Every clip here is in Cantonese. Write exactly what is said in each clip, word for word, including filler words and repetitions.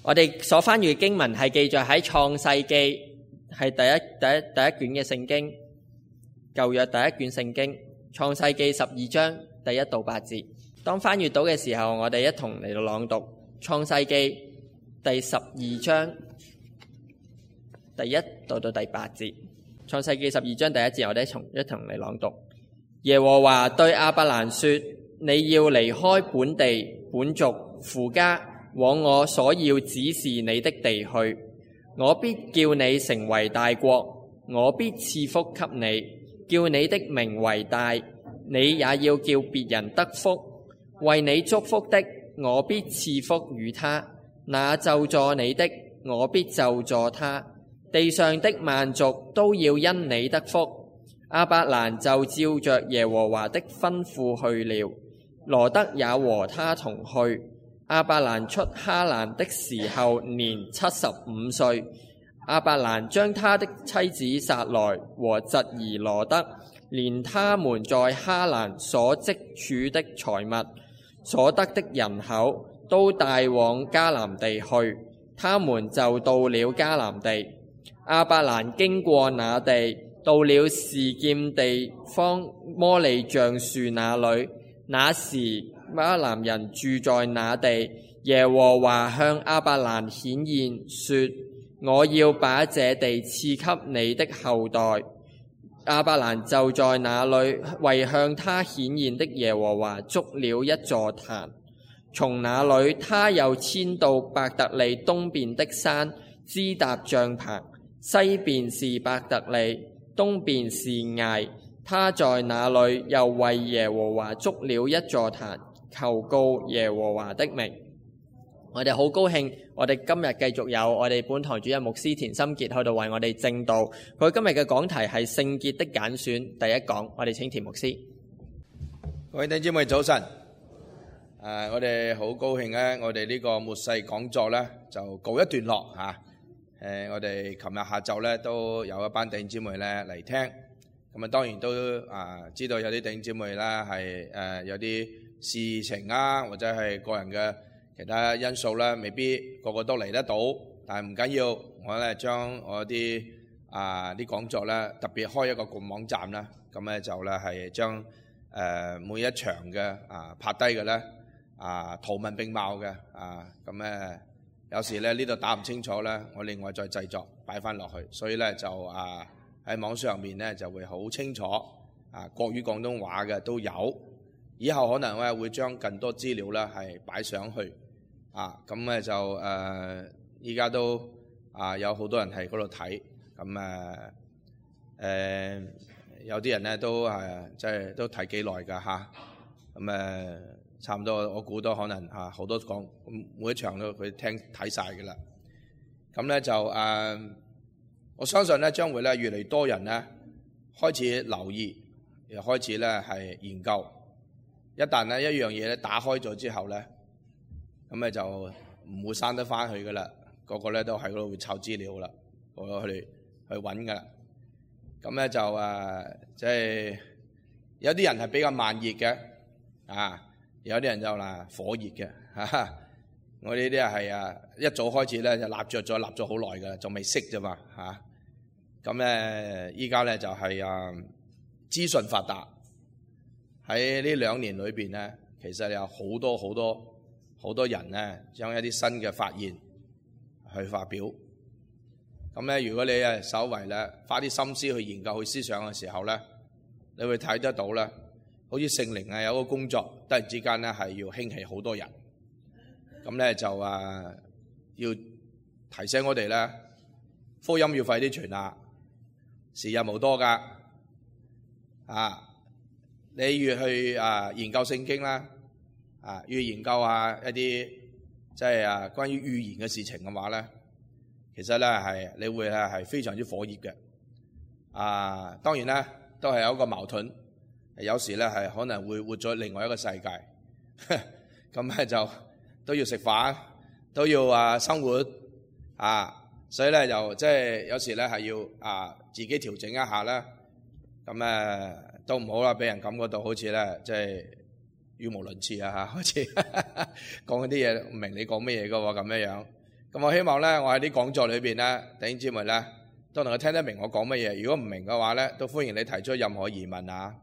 我哋所翻閱嘅經文係記載喺創世記，係第一第一第一卷嘅聖經，舊約第一卷聖經，創世記十二章第一到八節。當翻閱到嘅時候，我哋一同嚟到朗讀創世記第十二章第一到到第八節。創世記十二章第一節，我哋一同一同嚟朗讀。耶和華對亞伯蘭說：你要離開本地本族父家，往我所要指示你的地去。我必叫你成為大國，我必賜福給你，叫你的名為大，你也要叫別人得福。為你祝福的，我必賜福與他；那咒詛你的，我必咒詛他。地上的萬族都要因你得福。亞伯蘭就照着耶和華的吩咐去了，羅得也和他同去。亞伯蘭出哈蘭的時候年七十五歲。亞伯蘭將他的妻子撒萊和侄兒羅得，連他們在哈蘭所積儲的財物、所得的人口，都帶往迦南地去。他們就到了迦南地。亞伯蘭經過那地，到了示劍地方摩利橡樹那裏。那時迦南人住在那地。耶和華向亞伯蘭顯現說：我要把這地賜給你的後代。亞伯蘭就在那裏為向他顯現的耶和華築了一座壇。從那裏他又遷到伯特利東邊的山，支搭帳棚。西邊是伯特利，東邊是艾。他在那裏又為耶和華築了一座壇，求告耶和華的名。我哋好高興，我哋今日繼續有我哋本堂主任牧師田心傑喺度為我哋證道。佢今日嘅講題係聖潔的揀選，第一講，我哋請田牧師。各位弟兄姊妹早晨，誒、呃，我哋好高興咧，我哋呢個末世講座咧就告一段落嚇。誒、呃，我哋琴日下晝咧都有一班弟兄姊妹咧嚟聽，咁啊當然都啊、呃、知道有啲弟兄姊妹咧係誒有啲事情啊，或者係個人嘅其他因素咧，未必個個都嚟得到，但係唔緊要，我咧將我啲啊啲講座咧特別開一個個網站啦，咁咧就咧係將誒每一場嘅啊拍低嘅咧啊圖文並茂嘅啊，咁咧有時咧呢度打唔清楚咧，我另外再製作擺翻落去，所以咧就啊喺網上面咧就會好清楚啊國語廣東話嘅都有，以後可能咧會將更多資料咧係擺上去。啊，咁咧就誒，依、呃、家都啊有好多人喺嗰度睇，咁誒誒有啲人咧都係即係都睇幾耐㗎嚇，咁、啊、誒差唔多，我估都可能嚇好、啊、多講，每一場都佢聽睇晒㗎啦。咁咧就誒、呃，我相信咧將會咧越嚟越多人咧開始留意，又開始咧係研究。一旦咧一樣嘢咧打開咗之後咧，咁咧就唔會閂得翻去噶啦，個個咧都喺嗰度會抄資料啦，個個去去揾噶啦。咁咧就誒，即係有啲人係比較慢熱嘅，啊，有啲人就嗱火熱嘅，嚇。我呢啲係啊一早開始咧就立着咗，立咗好耐噶啦，仲未熄啫嘛，嚇。咁咧依家咧就係啊資訊發達，喺呢兩年裏邊咧，其實有好多好多。好多人咧將一啲新嘅發現去發表，咁咧如果你誒稍為咧花啲心思去研究去思想嘅時候咧，你會睇得到咧，好似聖靈啊有個工作，突然之間咧係要興起好多人，咁咧就啊要提醒我哋咧，福音要快啲傳啊，時日無多噶，啊你越去啊研究聖經啦。啊，要研究下一啲即係啊關於預言嘅事情嘅話咧，其實咧係你會咧係非常之火熱嘅。啊，當然咧都係有一個矛盾，有時咧係可能會活在另外一個世界，咁咧就都要食飯，都要啊生活啊，所以咧就即係有時咧係要啊自己調整一下啦。咁誒都唔好啦，俾人感覺到好似咧即係語無倫次啊嚇，好似講嗰啲嘢唔明你講咩嘢嘅喎咁樣樣。咁我希望咧，我喺啲講座裏邊咧，弟兄姊妹咧都能夠聽得明我講乜嘢。如果唔明嘅話咧，都歡迎你提出任何疑問啊。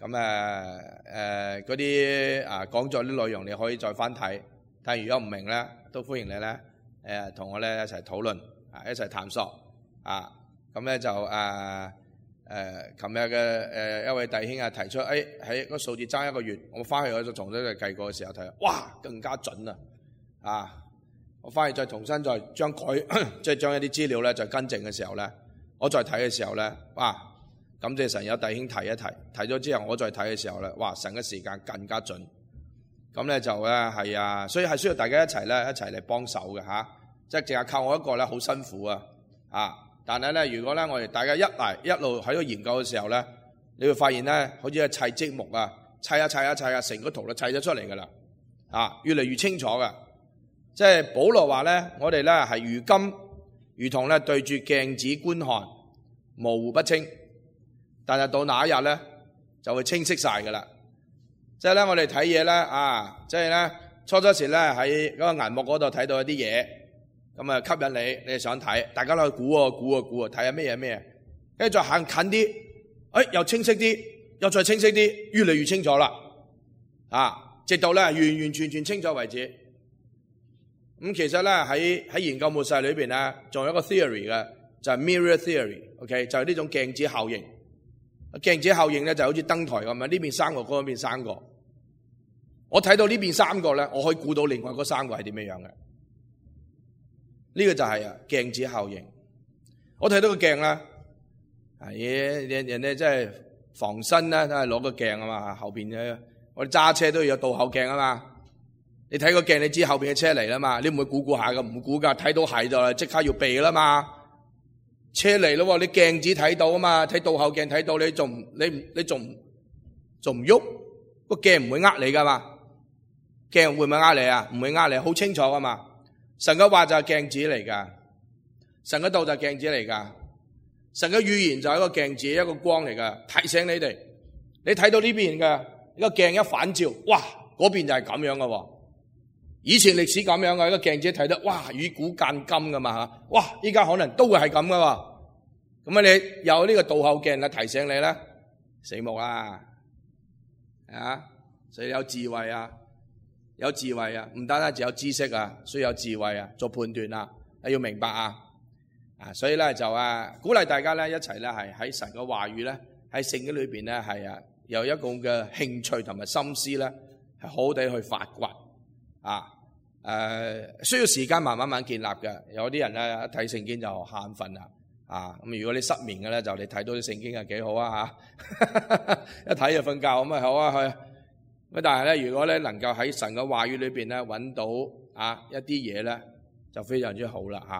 咁誒誒嗰啲啊講座啲內容，你可以再翻睇。但係如果唔明咧，都歡迎你咧誒同我咧一齊討論啊，一齊探索啊。咁咧就誒誒，琴日嘅誒一位弟兄啊提出，誒喺個數字爭一個月，我翻去我就重新去計過嘅時候睇，哇更加準啊！啊！我翻去再重新再將改，即係將一啲資料咧再更正嘅時候咧，我再睇嘅時候咧，哇！感謝神有弟兄提一提，提咗之後我再睇嘅時候咧，哇！神嘅時間更加準。咁咧就咧係啊，所以係需要大家一齊咧一齊嚟幫手嘅嚇，即係淨係靠我一個咧好辛苦啊！啊！但係咧，如果咧我哋大家一嚟一路喺度研究嘅時候咧，你會發現咧，好似係砌積木啊，砌啊砌啊砌啊，成個圖都砌咗出嚟㗎啦，啊！越嚟越清楚㗎。即係保羅話咧，我哋咧係如今如同咧對住鏡子觀看，模糊不清，但係到那一日咧就會清晰晒噶啦。即係咧我哋睇嘢咧啊，即係咧初初時咧喺嗰個銀幕嗰度睇到一啲嘢，咁啊吸引你，你想睇，大家都去估啊估啊估啊，睇下咩嘢咩嘢，跟住再行近啲，誒、哎、又清晰啲，又再清晰啲，越嚟越清楚啦，啊，直到咧完完全全清楚為止。咁其實咧喺喺研究末世裏邊咧，仲有一個 theory 嘅，就係 mirror theory，OK， 就係呢種鏡子效應。鏡子效應咧就好似燈台咁樣，呢邊三個，嗰邊三個。我睇到呢邊三個咧，我可以估到另外嗰三個係點樣樣嘅。呢個就係啊鏡子效應。我睇到個鏡啦，係人人哋真係防身啦，都係攞個鏡啊嘛，後邊嘅我哋揸車都要有倒後鏡啊嘛。你睇個鏡，你知後邊嘅車嚟啦嘛？你唔會估估下噶，唔估噶，睇到係就即刻要避啦嘛。車嚟咯，你鏡子睇到啊嘛，睇倒後鏡睇到，你仲你你仲仲唔喐？個鏡唔會呃你噶嘛？鏡會唔會呃你啊？唔會呃你，好清楚噶嘛。神嘅話就係鏡子嚟噶，神嘅道就係鏡子嚟噶，神嘅語言就係一個鏡子，一個光嚟噶，提醒你哋。你睇到呢邊嘅呢個鏡一反照，哇，嗰邊就係咁樣噶。以前歷史咁樣嘅，一個鏡子睇得，哇，與古鑑今噶嘛吓，哇，依家可能都會係咁噶喎。咁啊，你有呢個倒後鏡啊，提醒你咧，死木啦，啊，所以有智慧啊，有智慧啊，唔單單只有知識啊，需要有智慧啊，做判斷啊，你要明白啊，啊，所以咧就啊，鼓勵大家咧一齊咧係喺神嘅話語咧，喺聖經裏邊咧係啊，有一個嘅興趣同埋心思咧，係好好地去發掘啊。誒、呃，需要時間慢慢慢建立嘅。有啲人咧一睇聖經就瞌瞓啦，啊，咁如果你失眠嘅咧，就你睇到啲聖經係幾好啊吓，一睇就瞓覺咁啊好啊去。咁但係咧，如果咧能夠喺神嘅話語裏邊咧揾到啊一啲嘢咧，就非常之好啦吓。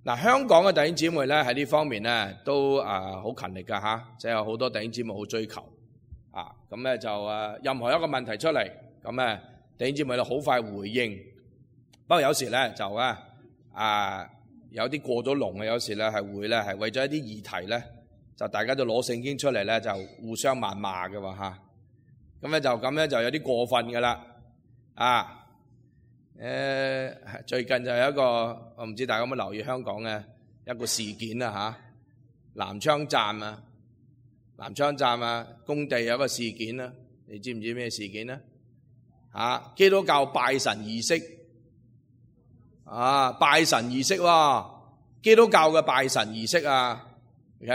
嗱、啊，香港嘅弟兄姊妹咧喺呢方面咧都啊好勤力噶吓，即係有好多弟兄姊妹好追求啊。咁咧就誒任何一個問題出嚟，咁咧弟兄姊妹就好快回應。不過有時咧就咧啊有啲過咗龍嘅，有時咧係會咧係為咗一啲議題咧，就大家都攞聖經出嚟咧就互相謾罵嘅喎嚇。咁咧就咁咧就有啲過分嘅啦啊！誒最近就有一個我唔知大家有冇留意香港嘅一個事件啊嚇，南昌站啊，南昌站啊工地有一個事件啊，你知唔知咩事件咧？嚇，基督教拜神儀式。啊！拜神儀式喎，基督教嘅拜神儀式啊 ，OK，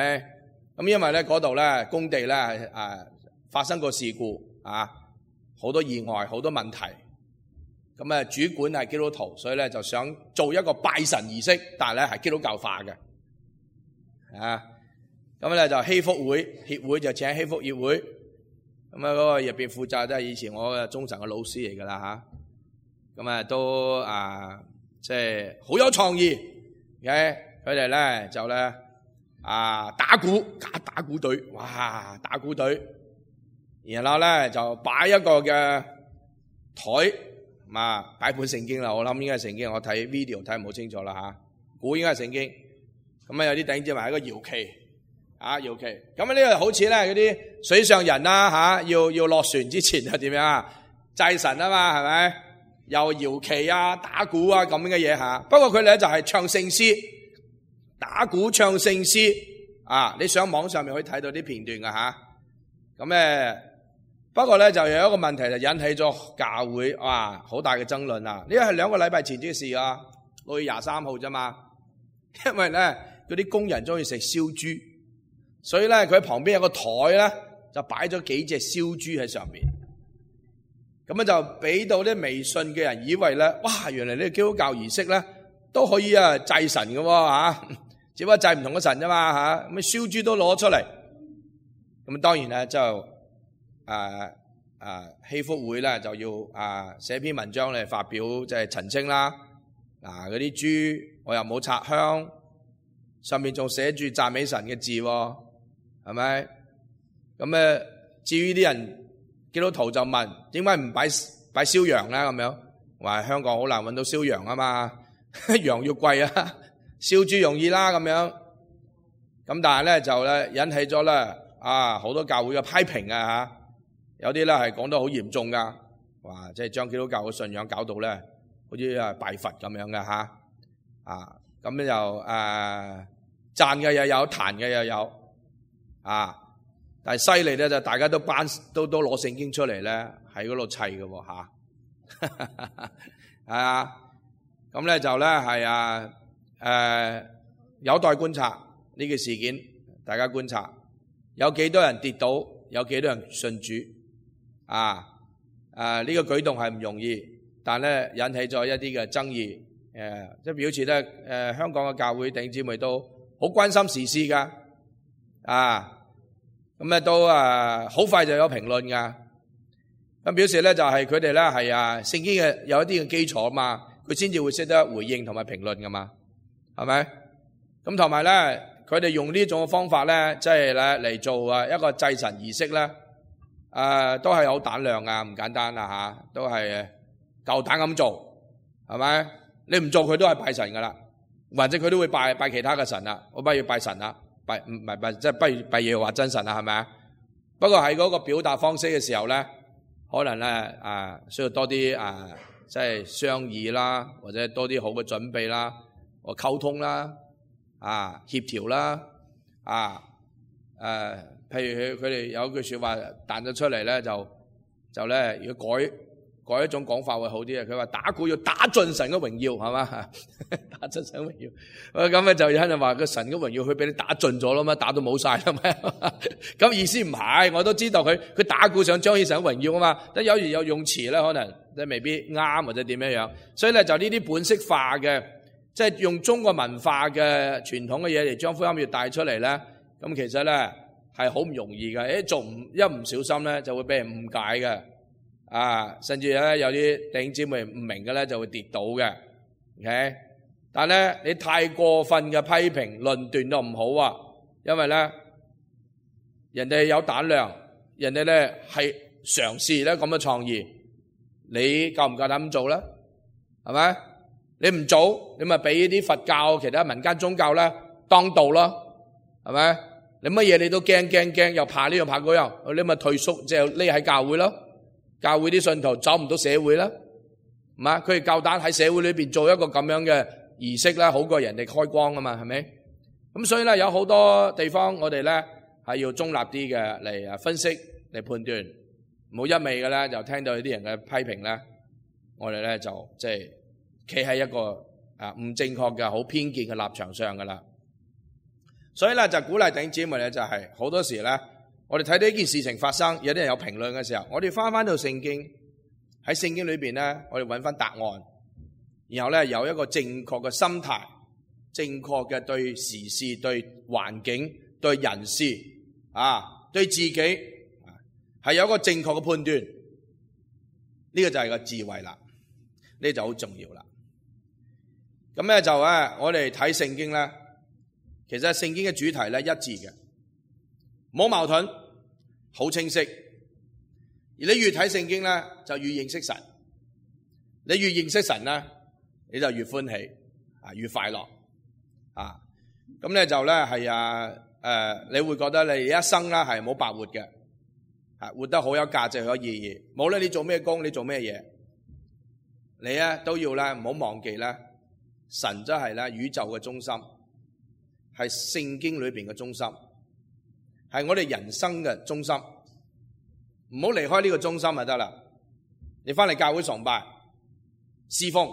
咁因為咧嗰度咧工地咧誒發生過事故啊，好多意外，好多問題，咁啊主管係基督徒，所以咧就想做一個拜神儀式，但係咧係基督教化嘅，啊，咁咧就禧福會協會就請禧福協會，咁啊嗰個入邊負責都係以前我嘅中神嘅老師嚟噶啦吓，咁啊都啊。即係好有創意嘅，佢哋咧就咧啊打鼓，假打鼓隊，哇打鼓隊，然後咧就擺一個嘅台，啊擺本聖經啦，我諗應該係聖經，我睇 video 睇唔好清楚啦吓，估應該係聖經。咁啊有啲頂住埋一個搖旗，啊搖旗，咁啊呢個好似咧嗰啲水上人啦吓，要要落船之前係點樣啊祭神啊嘛，係咪？又搖旗啊、打鼓啊咁嘅嘢吓。不過佢哋咧就係唱聖詩、打鼓唱聖詩啊！你上網上面可以睇到啲片段噶吓。咁誒，不過咧就有一個問題就引起咗教會哇好大嘅爭論啊！呢個係兩個禮拜前啲事啊，六月廿三號啫嘛。因為咧嗰啲工人中意食燒豬，所以咧佢喺旁邊有個台咧就擺咗幾隻燒豬喺上面。咁樣就俾到啲微信嘅人以為咧，哇！原來呢個基督教儀式咧都可以啊祭神嘅喎嚇，只不過祭唔同嘅神啫嘛嚇。咁燒豬都攞出嚟，咁當然咧就誒誒禧福會咧就要啊寫篇文章嚟發表即係澄清啦。嗱，嗰啲豬我又冇插香，上面仲寫住讚美神嘅字喎，係咪？咁誒至於啲人基督徒就問點解唔擺擺燒羊咧？咁樣話香港好難揾到燒羊啊嘛，羊要貴啊，燒豬容易啦咁樣。咁但係咧就咧引起咗咧啊好多教會嘅批評啊嚇，有啲咧係講得好嚴重噶，哇！即係將基督教嘅信仰搞到咧好似啊拜佛咁樣嘅嚇啊，咁咧就誒讚嘅又有，彈嘅又有啊。但係犀利咧，就大家都班都都攞聖經出嚟咧，喺嗰度砌嘅喎嚇，係啊，咁咧就咧係啊誒有待觀察呢個事件，大家觀察有幾多人跌倒，有幾多人信主啊？誒呢個舉動係唔容易，但咧引起咗一啲嘅爭議，誒即係表示咧誒香港嘅教會弟兄姊妹都好關心時事㗎啊！咁咧都啊好快就有評論噶，咁表示咧就係佢哋咧係啊聖經嘅有一啲嘅基礎嘛，佢先至會識得回應同埋評論噶嘛，係咪？咁同埋咧，佢哋用呢種方法咧，即係咧嚟做啊一個祭神儀式咧，誒都係好膽量啊，唔簡單啦吓，都係夠膽咁做，係咪？你唔做佢都係拜神噶啦，或者佢都會拜拜其他嘅神啦，我不如拜神啦。拜唔係拜，即係不如拜耶和華真神啦，係咪啊？不過喺嗰個表達方式嘅時候咧，可能咧啊需要多啲啊，即係商議啦，或者多啲好嘅準備啦，或溝通啦，啊協調啦，啊誒，譬如佢佢哋有句説話彈咗出嚟咧，就就咧要改改一種講法會好啲啊！佢話打鼓要打盡神嘅榮耀，係嘛？打盡神嘅榮耀，咁咧就有人話個神嘅榮耀佢俾你打盡咗啦嘛，打到冇晒啦咩？咁意思唔係，我都知道佢佢打鼓想彰顯神嘅榮耀啊嘛。但有時有用詞咧，可能即係未必啱或者點樣樣，所以咧就呢啲本色化嘅，即係用中國文化嘅傳統嘅嘢嚟將福音要帶出嚟咧，咁其實咧係好唔容易嘅。誒做唔一唔小心咧，就會俾人誤解嘅。啊，甚至咧有啲弟兄姊妹唔明嘅咧就會跌倒嘅 ，OK？ 但係咧你太過分嘅批評論斷都唔好啊，因為咧人哋有膽量，人哋咧係嘗試咧咁嘅創意，你夠唔夠膽咁做咧？係咪？你唔做，你咪俾啲佛教其他民間宗教咧當道咯，係咪？你乜嘢你都驚驚驚，又怕呢樣怕嗰樣，你咪退縮，即係匿喺教會咯。教會啲信徒走唔到社會啦，唔係佢哋夠膽喺社會裏邊做一個咁樣嘅儀式啦，好過人哋開光啊嘛，係咪？咁所以咧有好多地方我哋咧係要中立啲嘅嚟啊分析嚟判斷，唔好一味嘅咧就聽到有啲人嘅批評咧，我哋咧就即係企喺一個啊唔正確嘅好偏見嘅立場上噶啦。所以咧就鼓勵弟兄姊妹咧就係好多時咧。我哋睇到呢件事情發生，有啲人有評論嘅時候，我哋翻翻到聖經，喺聖經裏邊咧，我哋揾翻答案，然後咧有一個正確嘅心態，正確嘅對時事、對環境、對人事啊，對自己係有一個正確嘅判斷，呢個就係個智慧啦，呢就好重要啦。咁咧就咧，我哋睇聖經咧，其實聖經嘅主題咧一致嘅。冇矛盾，好清晰。而你越睇聖經咧，就越認識神。你越認識神咧，你就越歡喜啊，越快樂啊。咁咧就咧係啊誒，你會覺得你一生咧係冇白活嘅，啊活得好有價值、好有意義。無論你做咩工，你做咩嘢你咧都要咧唔好忘記咧，神真係咧宇宙嘅中心，係聖經裏邊嘅中心，係我哋人生嘅中心。唔好離開呢個中心就得啦。你翻嚟教會崇拜、侍奉，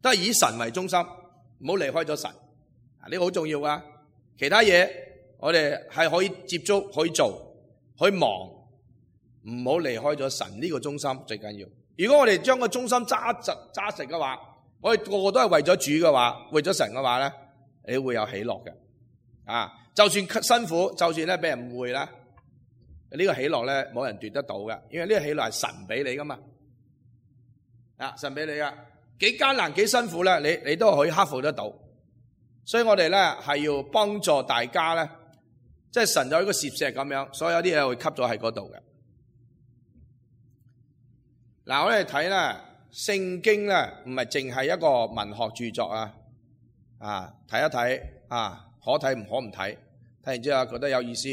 都係以神為中心，唔好離開咗神。呢個好重要啊！其他嘢我哋係可以接觸、可以做、可以忙，唔好離開咗神呢個中心最緊要。如果我哋將個中心揸實揸實嘅話，我哋個個都係為咗主嘅話，為咗神嘅話咧，你會有喜樂嘅。啊，就算辛苦，就算咧俾人誤會啦，呢個喜樂咧冇人奪得到嘅，因為呢個喜樂係神俾你噶嘛。啊，神俾你噶，幾艱難幾辛苦咧，你你都可以克服得到。所以我哋咧係要幫助大家咧，即係神有一個攝石咁樣，所有啲嘢會吸咗喺嗰度嘅。嗱，我哋睇咧聖經咧，唔係淨係一個文學著作啊，啊睇一睇啊，可睇唔可唔睇，睇完之後覺得有意思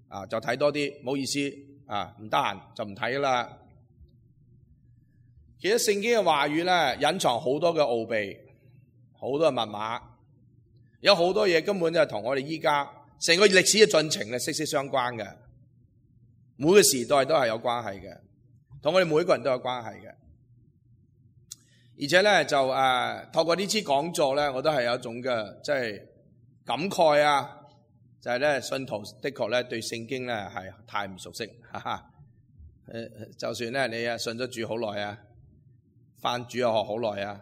啊，就睇多啲，冇意思啊，唔得閒就唔睇啦。其實聖經嘅話語咧，隱藏好多嘅奧秘，好多嘅密碼，有好多嘢根本就係同我哋依家成個歷史嘅進程咧息息相關嘅，每個時代都係有關係嘅，同我哋每個人都有關係嘅。而且咧就誒、呃、透過呢次講座咧，我都係有一種嘅即係感慨啊，就係、是、咧信徒的確咧對聖經咧係太唔熟悉，哈哈。誒，就算咧你啊信咗主好耐啊，返主日學好耐啊，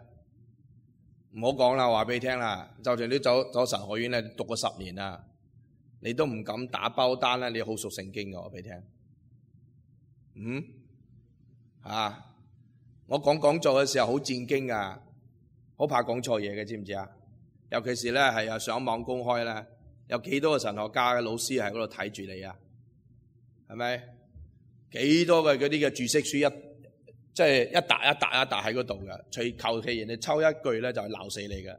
唔好講啦，話俾你聽啦，就算你走走神學院咧讀過十年啦，你都唔敢打包單啦，你好熟聖經嘅，我俾你聽。嗯，啊。我講講座嘅時候好戰驚啊，好怕講錯嘢嘅，知唔知啊？尤其是咧係啊上網公開咧，有幾多個神學家嘅老師喺嗰度睇住你啊？係咪？幾多嘅嗰啲嘅注釋書一即係一沓一沓一沓喺嗰度嘅，隨求其人哋抽一句咧就係鬧死你嘅，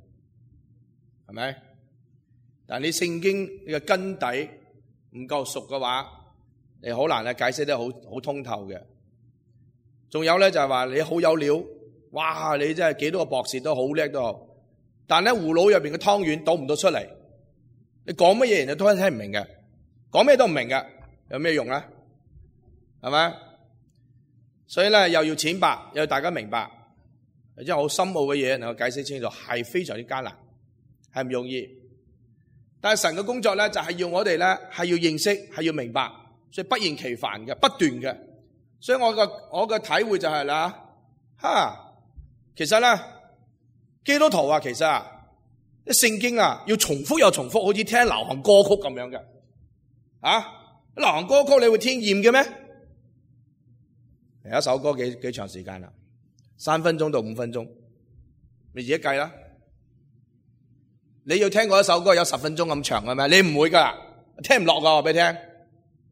係咪？但係你聖經你嘅根底唔夠熟嘅話，你好難咧解釋得好好通透嘅。仲有咧就係話你好有料，哇！你真係幾多個博士都好叻都好，但係咧葫蘆入邊嘅湯圓倒唔到出嚟，你講乜嘢人哋都聽唔明嘅，講咩都唔明嘅，有咩用啊？係咪？所以咧又要淺白，又要大家明白，即係好深奧嘅嘢能夠解釋清楚，係非常之艱難，係唔容易。但係神嘅工作咧就係要我哋咧係要認識，係要明白，所以不厭其煩嘅，不斷嘅。所以我個我嘅體會就係啦，哈，其實咧基督徒啊，其實啊，啲聖經啊要重複又重複，好似聽流行歌曲咁樣嘅，啊，流行歌曲你會聽厭嘅咩？有一首歌幾幾長時間啦，三分鐘到五分鐘，你自己計啦。你要聽過一首歌有十分鐘咁長嘅咩？你唔會噶，聽唔落噶，我俾你聽，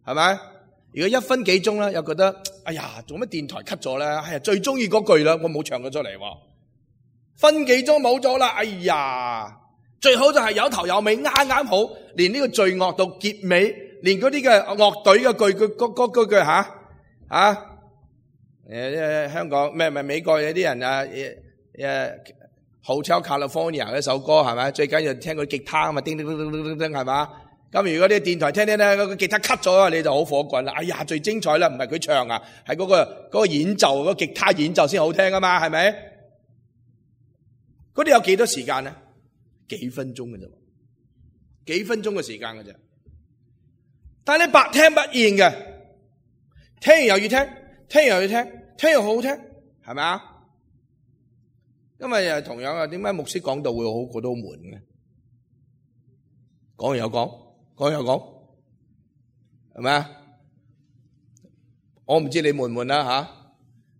係咪？如果一分幾鐘咧，又覺得哎呀，做乜電台 cut 咗咧？哎呀，最中意嗰句啦，我冇唱咗出嚟喎。分幾鐘冇咗啦，哎呀，最好就係有頭有尾，啱啱好，連呢個罪惡到結尾，連嗰啲嘅樂隊嘅句句嗰嗰嗰句吓啊，誒誒，香港咩咪美國有啲人啊，誒誒，Hotel California 嗰首歌係咪？最緊要聽個吉他啊嘛，叮叮叮叮叮叮叮係嘛？咁如果啲電台聽聽咧，個吉他 cut 咗，你就好火滾啦！哎呀，最精彩啦，唔係佢唱啊，係嗰個嗰個演奏，嗰個吉他演奏先好聽啊嘛，係咪？嗰啲有幾多時間咧？幾分鐘嘅啫，幾分鐘嘅時間嘅啫。但係你百聽不厭嘅，聽完又要聽，聽完又要聽，聽完好好聽，係咪啊？因為又同樣啊，點解牧師講道會好覺得好悶嘅？講完又講。講又講，係咪啊？我唔知你悶唔悶啦吓，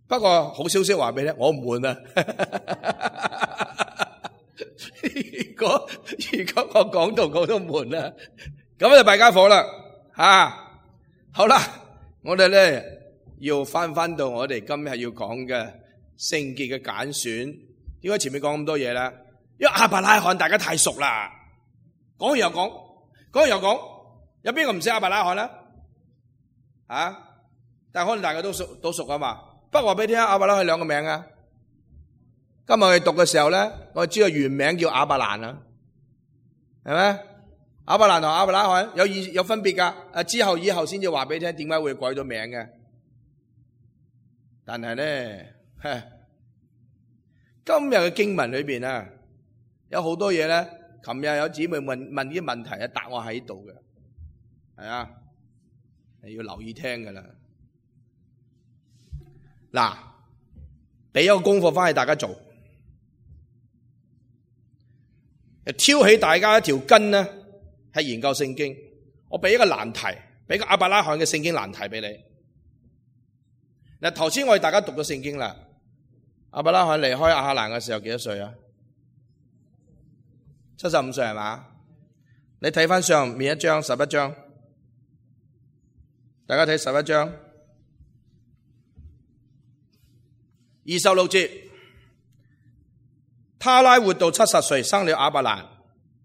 不過好消息話俾你聽，我唔悶啊。如果如果我講到我都悶啊，咁就弊家伙啦吓。好啦，我哋咧要翻翻到我哋今日要講嘅聖潔嘅揀選。點解前面講咁多嘢咧？因為亞伯拉罕大家太熟啦，講完又講。講完又講，有邊個唔識亞伯拉罕啦？啊！但係可能大家都熟都熟啊嘛。不過話俾你聽，亞伯拉罕兩個名啊，今日我哋讀嘅時候咧，我哋知道原名叫亞伯蘭啦，係咪？亞伯蘭同亞伯拉罕有意有分別噶，誒之後以後先至話俾你聽點解會改咗名嘅。但係咧，今日嘅經文裏邊啊，有好多嘢咧。琴日有姊妹問問啲問題啊，答案喺度嘅，係啊，你要留意聽噶啦。嗱，俾一個功課翻去大家做，挑起大家一條筋呢，係研究聖經。我俾一個難題，俾個亞伯拉罕嘅聖經難題俾你。嗱，頭先我哋大家讀咗聖經啦，亞伯拉罕離開亞哈蘭嘅時候幾多歲啊？七十五歲係嘛？你睇翻上面一章十一章，大家睇十一章二十六節，他拉活到七十歲，生了亞伯蘭、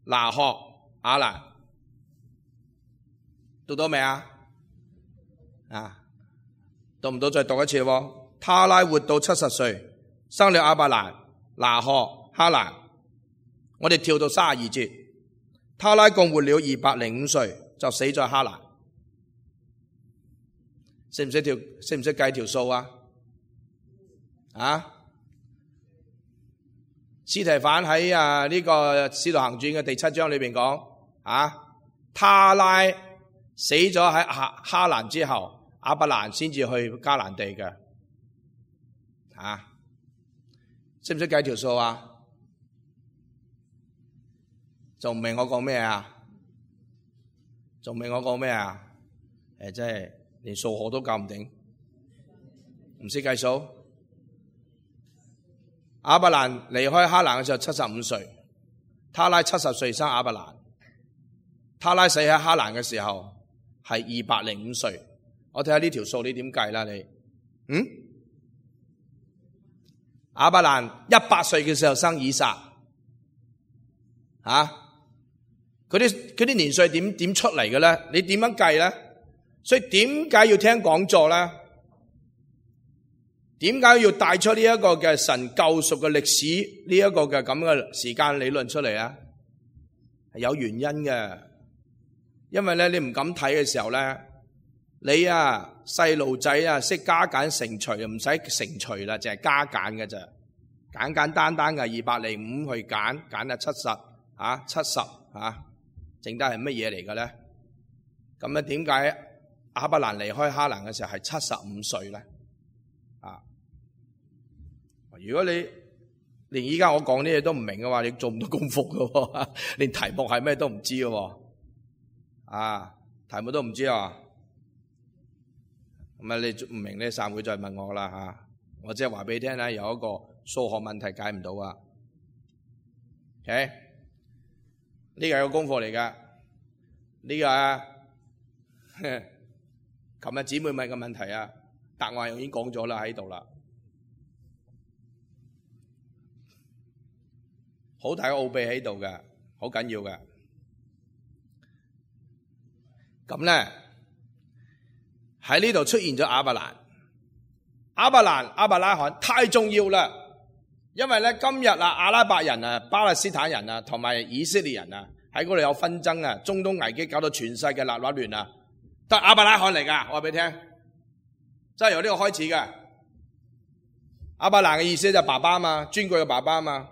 拿鶴、亞蘭。讀到未啊？啊，讀唔到再讀一次喎。他拉活到七十歲，生了亞伯蘭、拿鶴、哈蘭。我哋跳到三十二節，他拉共活了二百零五歲，就死在哈蘭。識唔識條？識唔識計條數啊？啊？司提反喺啊呢個《使徒行傳》嘅第七章裏邊講，啊，他拉死咗喺哈哈蘭之後，亞伯蘭先至去迦南地嘅。啊？識唔識計條數啊？仲唔明我講咩啊？仲唔明我講咩啊？誒，真係連數學都搞唔定，唔識計數。亞伯蘭離開哈蘭嘅時候七十五歲，他拉七十歲生亞伯蘭，他拉死喺哈蘭嘅時候係二百零五歲。我睇下呢條數你點計啦？你嗯？亞伯蘭一百歲嘅時候生以撒，啊？佢啲佢啲年歲點點出嚟嘅咧？你點樣計咧？所以點解要聽講座咧？點解要帶出呢一個嘅神救贖嘅歷史呢一個嘅咁嘅時間理論出嚟啊？係有原因嘅，因為咧你唔敢睇嘅時候咧，你啊細路仔啊識加減乘除，唔使乘除啦，淨係加減嘅咋，簡簡單單嘅二百零五去減，減啊七十啊七十啊。剩低係乜嘢嚟嘅咧？咁咧點解亞伯蘭離開哈蘭嘅時候係七十五歲咧？啊！如果你連依家我講啲嘢都唔明嘅話，你做唔到功課嘅喎，連題目係咩都唔知嘅喎。啊，題目都唔知啊！咁啊，你唔明呢，散會再問我啦嚇。我即係話俾你聽咧，有一個數學問題解唔到啊。OK。呢個係個功課嚟噶，呢個啊，琴日姊妹問嘅問題啊，答案已經講咗啦，喺度啦，好大個奧秘喺度嘅，好緊要嘅。咁咧喺呢度出現咗亞伯蘭，亞伯蘭、亞伯拉罕太重要啦。因為咧今日啊阿拉伯人啊巴勒斯坦人啊同埋以色列人啊喺嗰度有紛爭啊，中東危機搞到全世界立立亂啊，都係亞伯拉罕嚟噶，我話俾你聽，真係由呢個開始嘅。亞伯蘭嘅意思就係爸爸嘛，尊貴嘅爸爸嘛，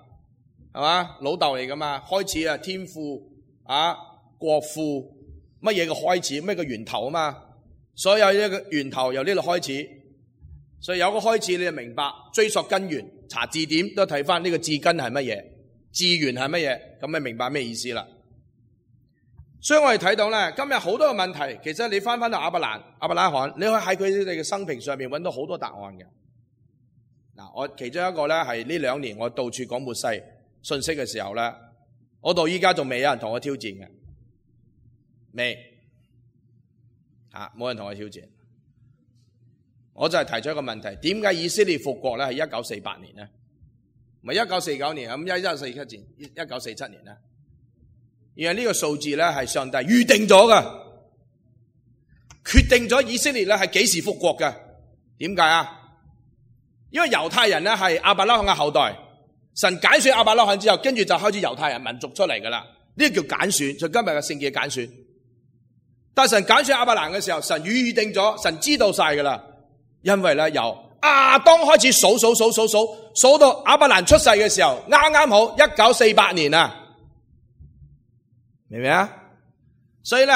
係嘛，老豆嚟噶嘛，開始啊天父啊國父乜嘢嘅開始，咩嘅源頭啊嘛，所有呢個源頭由呢度開始，所以有個開始你就明白，追溯根源。查字典都睇翻呢個字根係乜嘢，字源係乜嘢，咁咪明白咩意思啦。所以我哋睇到咧，今日好多嘅問題，其實你翻翻到亞伯蘭、亞伯拉罕，你可以喺佢哋嘅生平上面揾到好多答案嘅。嗱，我其中一個咧係呢兩年我到處講末世信息嘅時候咧，我到依家仲未有人同我挑戰嘅，未啊，冇人同我挑戰。我就係提出一個問題，點解以色列復國咧係一九四八年咧？唔係一九四九年啊，咁一一四七年，一九四七年咧？而係呢個數字咧係上帝預定咗㗎，決定咗以色列咧係幾時復國㗎？點解啊？因為猶太人咧係亞伯拉罕嘅後代，神揀選亞伯拉罕之後，跟住就開始猶太人民族出嚟噶啦。呢個叫揀選，就今日嘅聖經嘅揀選。但係神揀選亞伯蘭嘅時候，神預定咗，神知道晒噶啦。因為咧由亞當開始數數數數數數到亞伯蘭出世嘅時候，啱啱好一九四八年啊，明唔明啊？所以咧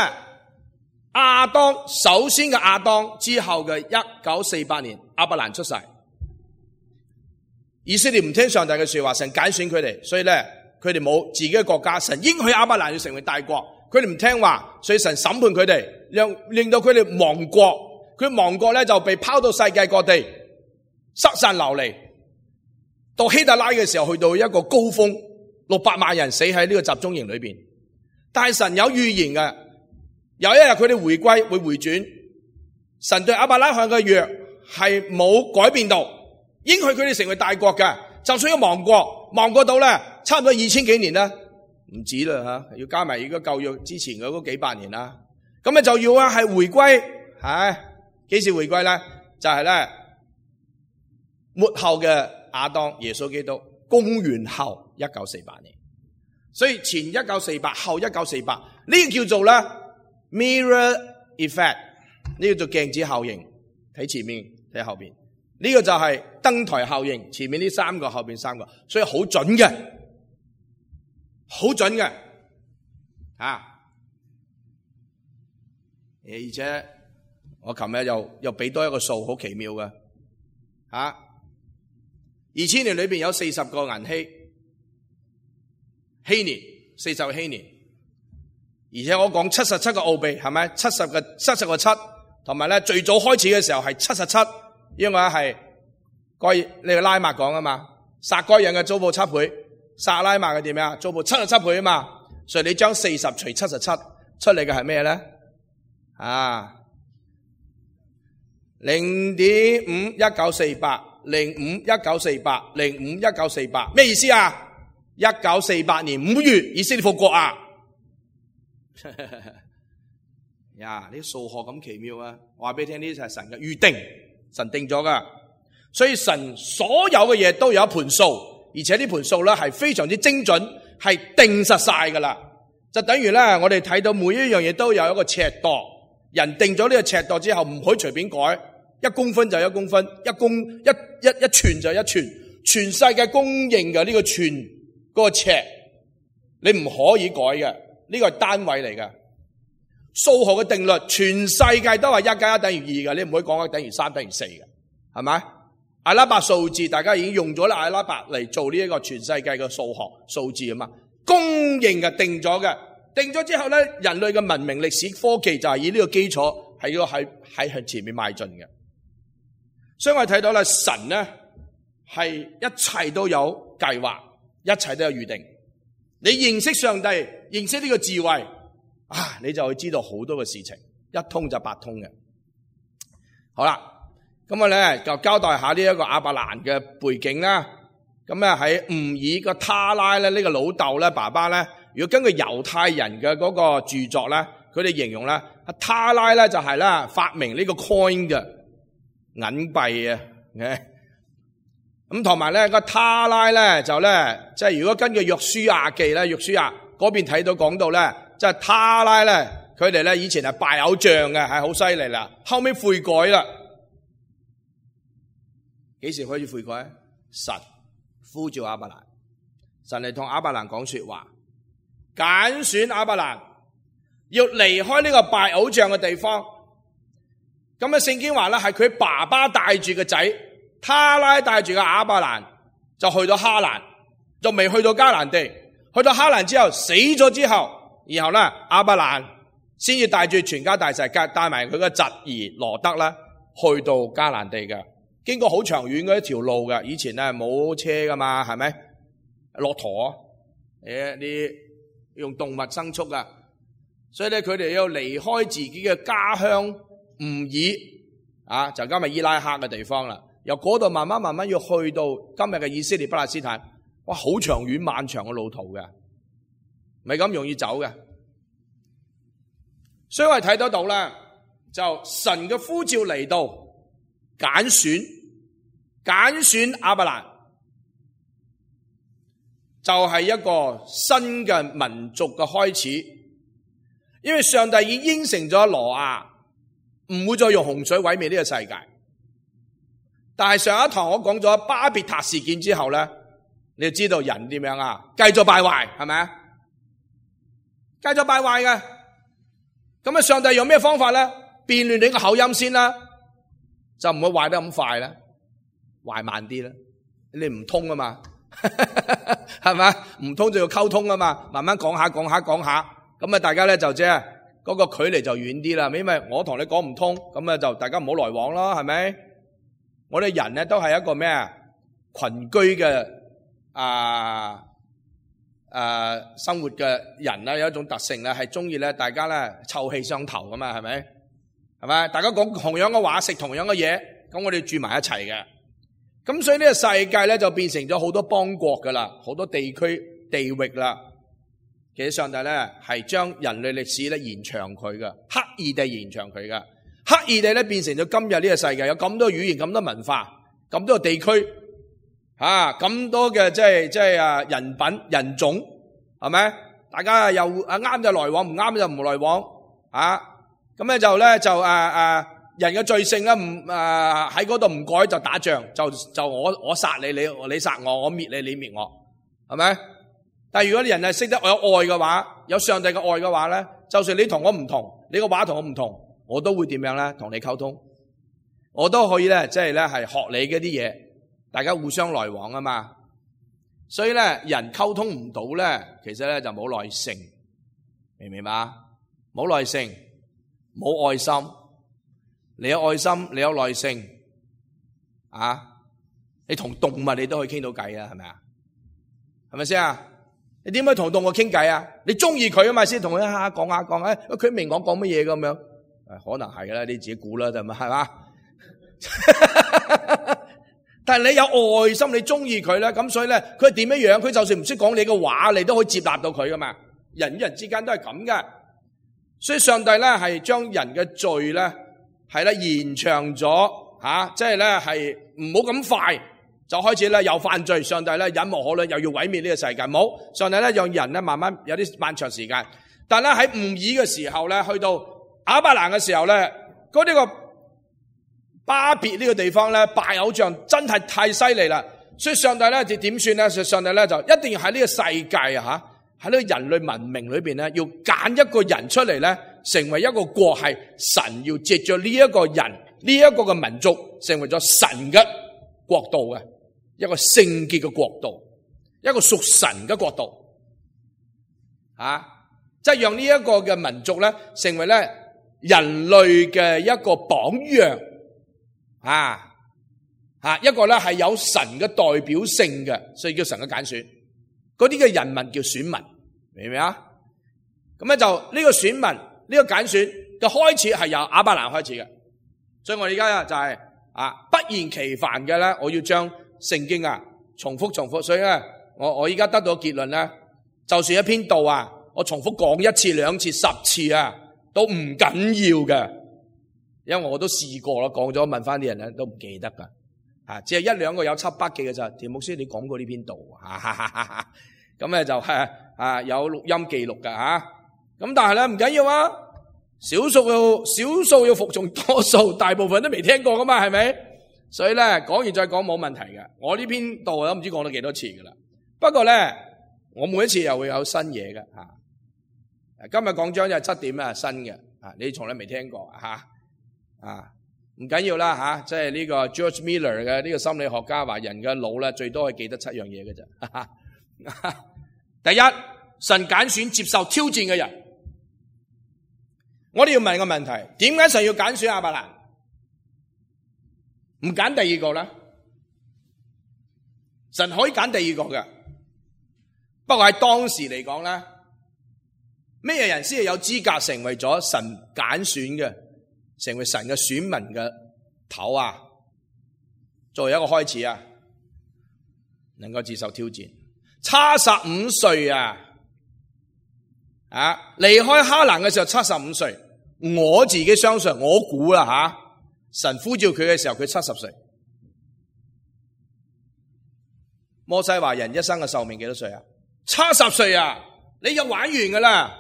亞當首先嘅亞當之後嘅一九四八年，亞伯蘭出世。以色列唔聽上帝嘅說話，神揀選佢哋，所以咧佢哋冇自己嘅國家。神應許亞伯蘭要成為大國，佢哋唔聽話，所以神審判佢哋，令令到佢哋亡國。佢亡國咧就被拋到世界各地，失散流離。到希特拉嘅時候，去到一個高峰，六百萬人死喺呢個集中營裏邊。但係神有預言嘅，有一日佢哋回歸會回轉。神對亞伯拉罕嘅約係冇改變到，應許佢哋成為大國嘅。就算要亡國，亡國到咧差唔多二千幾年啦，唔止啦吓，要加埋而家舊約之前嘅嗰幾百年啦。咁咧就要啊係回歸，唉。幾時回歸咧？就係、是、咧末後嘅亞當耶穌基督，公元後一九四八年。所以前一九四八，後一九四八，呢個叫做咧 mirror effect， 呢個叫做鏡子效應。睇前面，睇後邊，呢、這個就係燈台效應。前面呢三個，後邊三個，所以好準嘅，好準嘅，啊！而且。我琴日又又俾多一個數，好奇妙嘅，吓、啊，二千年裏邊有四十個銀禧，禧年四十個禧年，而且我講七十七個奧秘，係咪？七十個七十個七，同埋咧最早開始嘅時候係七十七，因為係該呢個拉麥講啊嘛，撒該人嘅遭報七倍，撒拉麥嘅點樣？遭報七十七倍啊嘛，所以你將四十除七十七出嚟嘅係咩咧？啊！零點五一九四八，零五一九四八，零五一九四八，咩意思啊？一九四八年五月，以色列復國啊！呀，呢啲數學咁奇妙啊！我話俾你聽，呢啲係神嘅預定，神定咗噶。所以神所有嘅嘢都有一盤數，而且呢盤數咧係非常之精準，係定實晒噶啦。就等於咧，我哋睇到每一樣嘢都有一個尺度，人定咗呢個尺度之後，唔可以隨便改。一公分就一公分，一公一一一寸就一寸，全世界公認嘅呢個寸嗰個尺，你唔可以改嘅，呢個係單位嚟嘅。數學嘅定律，全世界都係一加一等於二嘅，你唔可以講一等於三等於四嘅，係咪？阿拉伯數字大家已經用咗啦，阿拉伯嚟做呢一個全世界嘅數學數字啊嘛，公認嘅定咗嘅，定咗之後咧，人類嘅文明、歷史、科技就係以呢個基礎係要喺喺向前面邁進嘅。所以我哋睇到啦，神咧係一切都有計劃，一切都有預定。你認識上帝，認識呢個智慧啊，你就會知道好多嘅事情，一通就八通嘅。好啦，咁我咧就交代下呢一個亞伯蘭嘅背景啦。咁咧喺吾爾個他拉咧，呢個老豆咧，爸爸咧，如果根據猶太人嘅嗰個著作咧，佢哋形容咧，他拉咧就係咧發明呢個 coin 嘅。銀幣啊，咁同埋咧個他拉咧就咧，即係如果根據約書亞記咧，約書亞嗰邊睇到講到咧，即係他拉咧，佢哋咧以前係拜偶像嘅，係好犀利啦，後尾悔改啦。幾時開始悔改？神呼召亞伯蘭，神嚟同亞伯蘭講說話，揀選亞伯蘭要離開呢個拜偶像嘅地方。咁啊，聖經話咧，係佢爸爸帶住個仔，他拉帶住個亞伯蘭，就去到哈蘭，就未去到迦南地。去到哈蘭之後，死咗之後，然後咧，亞伯蘭先至帶住全家大細，帶埋佢個侄兒羅德啦，去到迦南地嘅。經過好長遠嘅一條路嘅，以前咧冇車噶嘛，係咪？駱駝，誒，啲用動物牲畜噶，所以咧佢哋要離開自己嘅家鄉。吾爾啊，就今日伊拉克嘅地方啦，由嗰度慢慢慢慢要去到今日嘅以色列巴勒斯坦，哇，好長遠漫長嘅路途嘅，唔係咁容易走嘅。所以我哋睇得到咧，就神嘅呼召嚟到，揀選揀選亞伯蘭，就係一個新嘅民族嘅開始，因為上帝已經應承咗挪亞唔會再用洪水毀滅呢個世界。但係上一堂我講咗巴別塔事件之後咧，你就知道人點樣啊？繼續敗壞，係咪啊？繼續敗壞嘅。咁啊，上帝用咩方法咧？變亂你個口音先啦，就唔會壞得咁快啦，壞慢啲啦。你唔通啊嘛，係咪？唔通就要溝通啊嘛，慢慢講下講下講下，咁啊大家咧就即係嗰個距離就遠啲啦。因為我同你講唔通，咁啊就大家唔好來往咯，係咪？我哋人咧都係一個咩啊？群居嘅啊啊生活嘅人咧，有一種特性咧，係中意咧大家咧臭氣相投噶嘛，係咪？係咪？大家講同樣嘅話，食同樣嘅嘢，咁我哋住埋一齊嘅。咁所以呢個世界咧就變成咗好多邦國噶啦，好多地區地域啦。其實上帝咧係將人類歷史咧延長佢噶，刻意地延長佢噶，刻意地咧變成咗今日呢個世界有咁多語言、咁多文化、咁多地區啊，咁多嘅即係即係啊人品人種，係咪？大家又啊啱就來往，唔啱就唔來往啊。咁咧就咧就誒誒人嘅罪性咧唔誒喺嗰度唔改就打仗，就就我我殺你，你你殺我，我滅你，你滅我，係咪？但係如果啲人係識得有愛嘅話，有上帝嘅愛嘅話咧，就算你同我唔同，你個話同我唔同，我都會點樣咧？同你溝通，我都可以咧，即係咧係學你嗰啲嘢，大家互相來往啊嘛。所以咧人溝通唔到咧，其實咧就冇耐性，明唔明白？冇耐性。冇愛心，你有愛心，你有耐性，啊！你同動物你都可以傾到偈啊，係咪啊？係咪先啊？你點解同動物傾偈啊？你中意佢啊嘛，先同佢下講下講，誒，佢明我講乜嘢咁樣？誒，可能係啦，你自己估啦，就咪係嘛？但係你有愛心，你中意佢咧，咁所以咧，佢係點樣樣？佢就算唔識講你嘅話，你都可以接納到佢噶嘛？人與人之間都係咁噶。所以上帝咧係將人嘅罪咧係咧延長咗吓，即係咧係唔好咁快就開始咧有犯罪。上帝咧忍無可忍，又要毀滅呢個世界。冇，上帝咧讓人咧慢慢有啲漫長時間。但係咧喺吾珥嘅時候咧，去到亞伯蘭嘅時候咧，嗰啲個巴別呢個地方咧拜偶像真係太犀利啦。所以上帝咧就點算咧？上帝咧就一定要喺呢個世界啊吓。喺呢個人類文明裏邊咧，要揀一個人出嚟咧，成為一個國，係神要藉着呢一個人，呢一個嘅民族，成為咗神嘅國度嘅一個聖潔嘅國度，一個屬神嘅國度，啊，即係讓呢一個嘅民族咧，成為咧人類嘅一個榜樣，啊，啊，一個咧係有神嘅代表性嘅，所以叫神嘅揀選。嗰啲嘅人民叫選民，明唔明啊？咁咧就呢個選民，呢個揀選嘅開始係由亞伯蘭開始嘅，所以我而家就係啊不厭其煩嘅咧，我要將聖經啊重複重複，所以咧我我而家得到結論咧，就算一篇道啊，我重複講一次、兩次、十次啊，都唔緊要嘅，因為我都試過啦，講咗問翻啲人咧都唔記得噶。啊，只係一兩個有輯筆記嘅咋？田牧師，你講過呢篇道啊？咁咧就係啊有錄音記錄噶吓。咁但係咧唔緊要啊，少數要少數要服從多數，大部分都未聽過噶嘛，係咪？所以咧講完再講冇問題嘅。我呢篇道都唔知講咗幾多次噶啦。不過咧，我每一次又會有新嘢嘅吓。今日講章就係七點啊，新嘅啊，你從來未聽過吓啊。唔緊要啦吓，即係呢個 George Miller 嘅呢個心理學家話，人嘅腦咧最多係記得七樣嘢嘅啫。第一，神揀選接受挑戰嘅人。我哋要問個問題：點解神要揀選亞伯蘭？唔揀第二個啦？神可以揀第二個嘅，不過喺當時嚟講咧，咩人先係有資格成為咗神揀選嘅？成為神嘅選民嘅頭啊，作為一個開始啊，能夠接受挑戰，七十五歲啊，啊離開哈蘭嘅時候七十五歲，我自己相信，我估啦吓，神呼召佢嘅時候佢七十歲。摩西話人一生嘅壽命幾多歲啊？七十歲啊，你就玩完噶啦。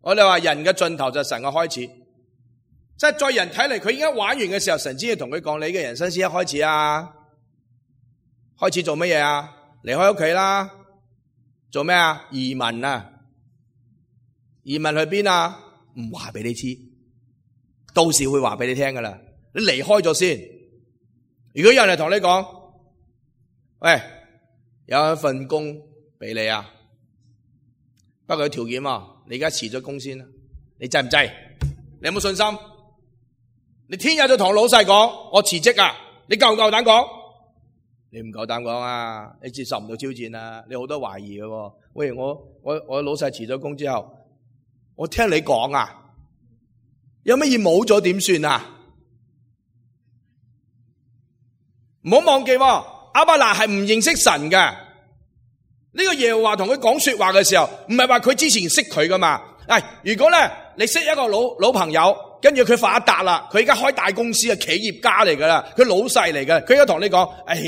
我哋話人嘅盡頭就係神嘅開始，即係在人睇嚟，佢已經玩完嘅時候，神先要同佢講：你嘅人生先一開始啊！開始做乜嘢啊？離開屋企啦，做咩啊？移民啊！移民去邊啊？唔話俾你知，到時會話俾你聽噶啦。你離開咗先。如果有人嚟同你講：喂，有一份工俾你啊，不過有條件啊，你而家辭咗工先啦，你制唔制？你有冇信心？你聽日就同老細講我辭職啊，你夠唔夠膽講？你唔夠膽講啊，你接受唔到挑戰啊，你好多懷疑嘅。喂，我我我老細辭咗工之後，我聽你講啊，有乜嘢冇咗點算啊？唔好忘記，亞伯蘭係唔認識神嘅。呢個耶和華同佢講說話嘅時候，唔係話佢之前識佢噶嘛。誒，如果咧你識一個老老朋友，跟住佢發達啦，佢而家開大公司嘅企業家嚟噶啦，佢老細嚟嘅，佢而家同你講：哎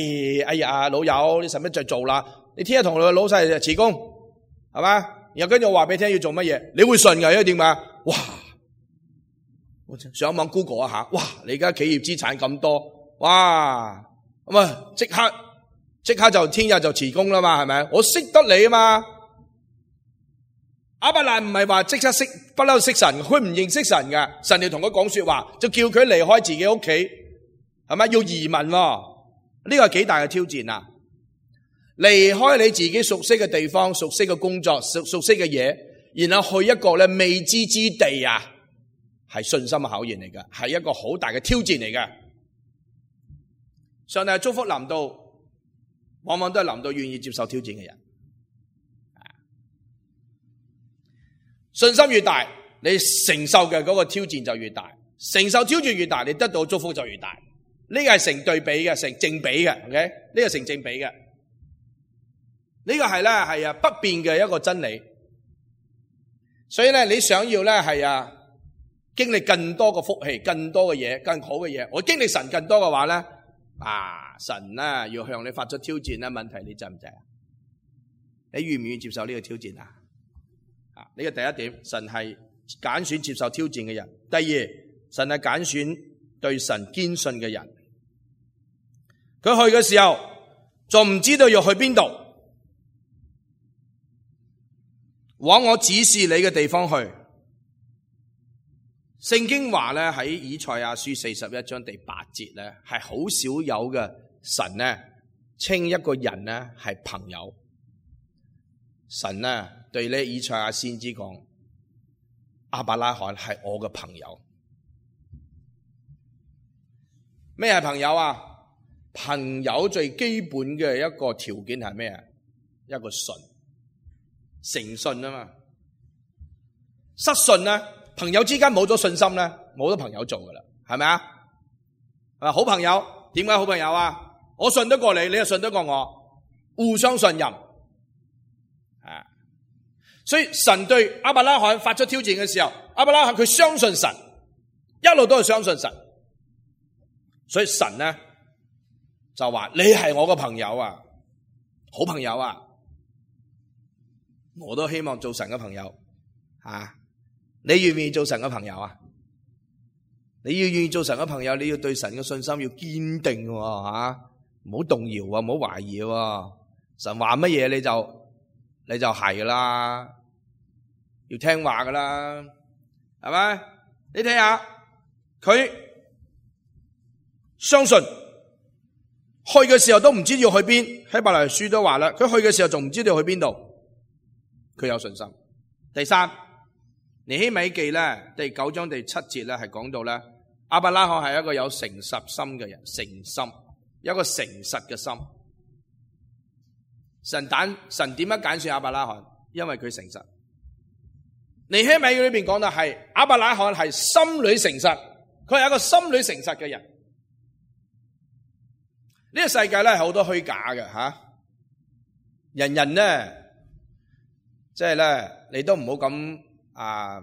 哎呀，老友，你使乜再做啦？你聽日同你老細辭工，係嘛？然後跟住我話俾你聽要做乜嘢，你會信嘅，因為點解？哇！我上網 Google 一下，哇！你而家企業資產咁多，哇！咁啊，即刻即刻就聽日就辭工啦嘛，係咪？我識得你啊嘛。亞伯蘭唔係話即刻識不嬲識神，佢唔認識神嘅，神要同佢講說話，就叫佢離開自己屋企，係咪？要移民喎，呢個係幾大嘅挑戰啊！離開你自己熟悉嘅地方、熟悉嘅工作、熟熟悉嘅嘢，然後去一個咧未知之地啊，係信心嘅考驗嚟嘅，係一個好大嘅挑戰嚟嘅。上帝祝福臨到，往往都係臨到願意接受挑戰嘅人。信心越大，你承受嘅嗰個挑戰就越大，承受挑戰越大，你得到祝福就越大。呢個係成對比嘅，成正比嘅 ，OK？ 呢個成正比嘅，呢個係咧係啊不變嘅一個真理。所以咧，你想要咧係啊經歷更多嘅福氣、更多嘅嘢、更好嘅嘢，我經歷神更多嘅話咧，啊神啊要向你發出挑戰咧，問題你制唔制啊？你願唔願意接受呢個挑戰啊？啊！呢個第一點，神係揀選接受挑戰嘅人。第二，神係揀選對神堅信嘅人。佢去嘅時候，仲唔知道要去邊度，往我指示你嘅地方去。聖經話咧喺以賽亞書四十一章第八節咧，係好少有嘅神咧稱一個人咧係朋友。神咧對呢以賽亞先知講，亞伯拉罕係我嘅朋友。咩係朋友啊？朋友最基本嘅一個條件係咩啊？一個信，誠信啊嘛。失信咧，朋友之間冇咗信心咧，冇咗朋友做噶啦，係咪啊？係咪好朋友？點解好朋友啊？我信得過你，你又信得過我，互相信任。所以神對亞伯拉罕發出挑戰嘅時候，亞伯拉罕佢相信神，一路都係相信神。所以神呢就話：你係我個朋友啊，好朋友啊，我都希望做神嘅朋友啊！你願唔願意做神嘅朋友啊？你要願意做神嘅朋友，你要對神嘅信心要堅定喎，吓，唔好動搖啊，唔好懷疑喎。神話乜嘢你就你就係噶啦，要聽話噶啦，係咪？你睇下佢相信去嘅時候都唔知要去邊，希伯來書都話啦，佢去嘅時候仲唔知道去邊度，佢有信心。第三，尼希米記咧第九章第七節咧係講到咧，亞伯拉罕係一個有誠實心嘅人，誠心，有一個誠實嘅心。神揀神點樣揀選亞伯拉罕？因為佢誠實。尼希米裏邊講到係亞伯拉罕係心裏誠實，佢係一個心裏誠實嘅人。呢、這個世界咧係好多虛假嘅吓，人人咧即係咧你都唔好咁啊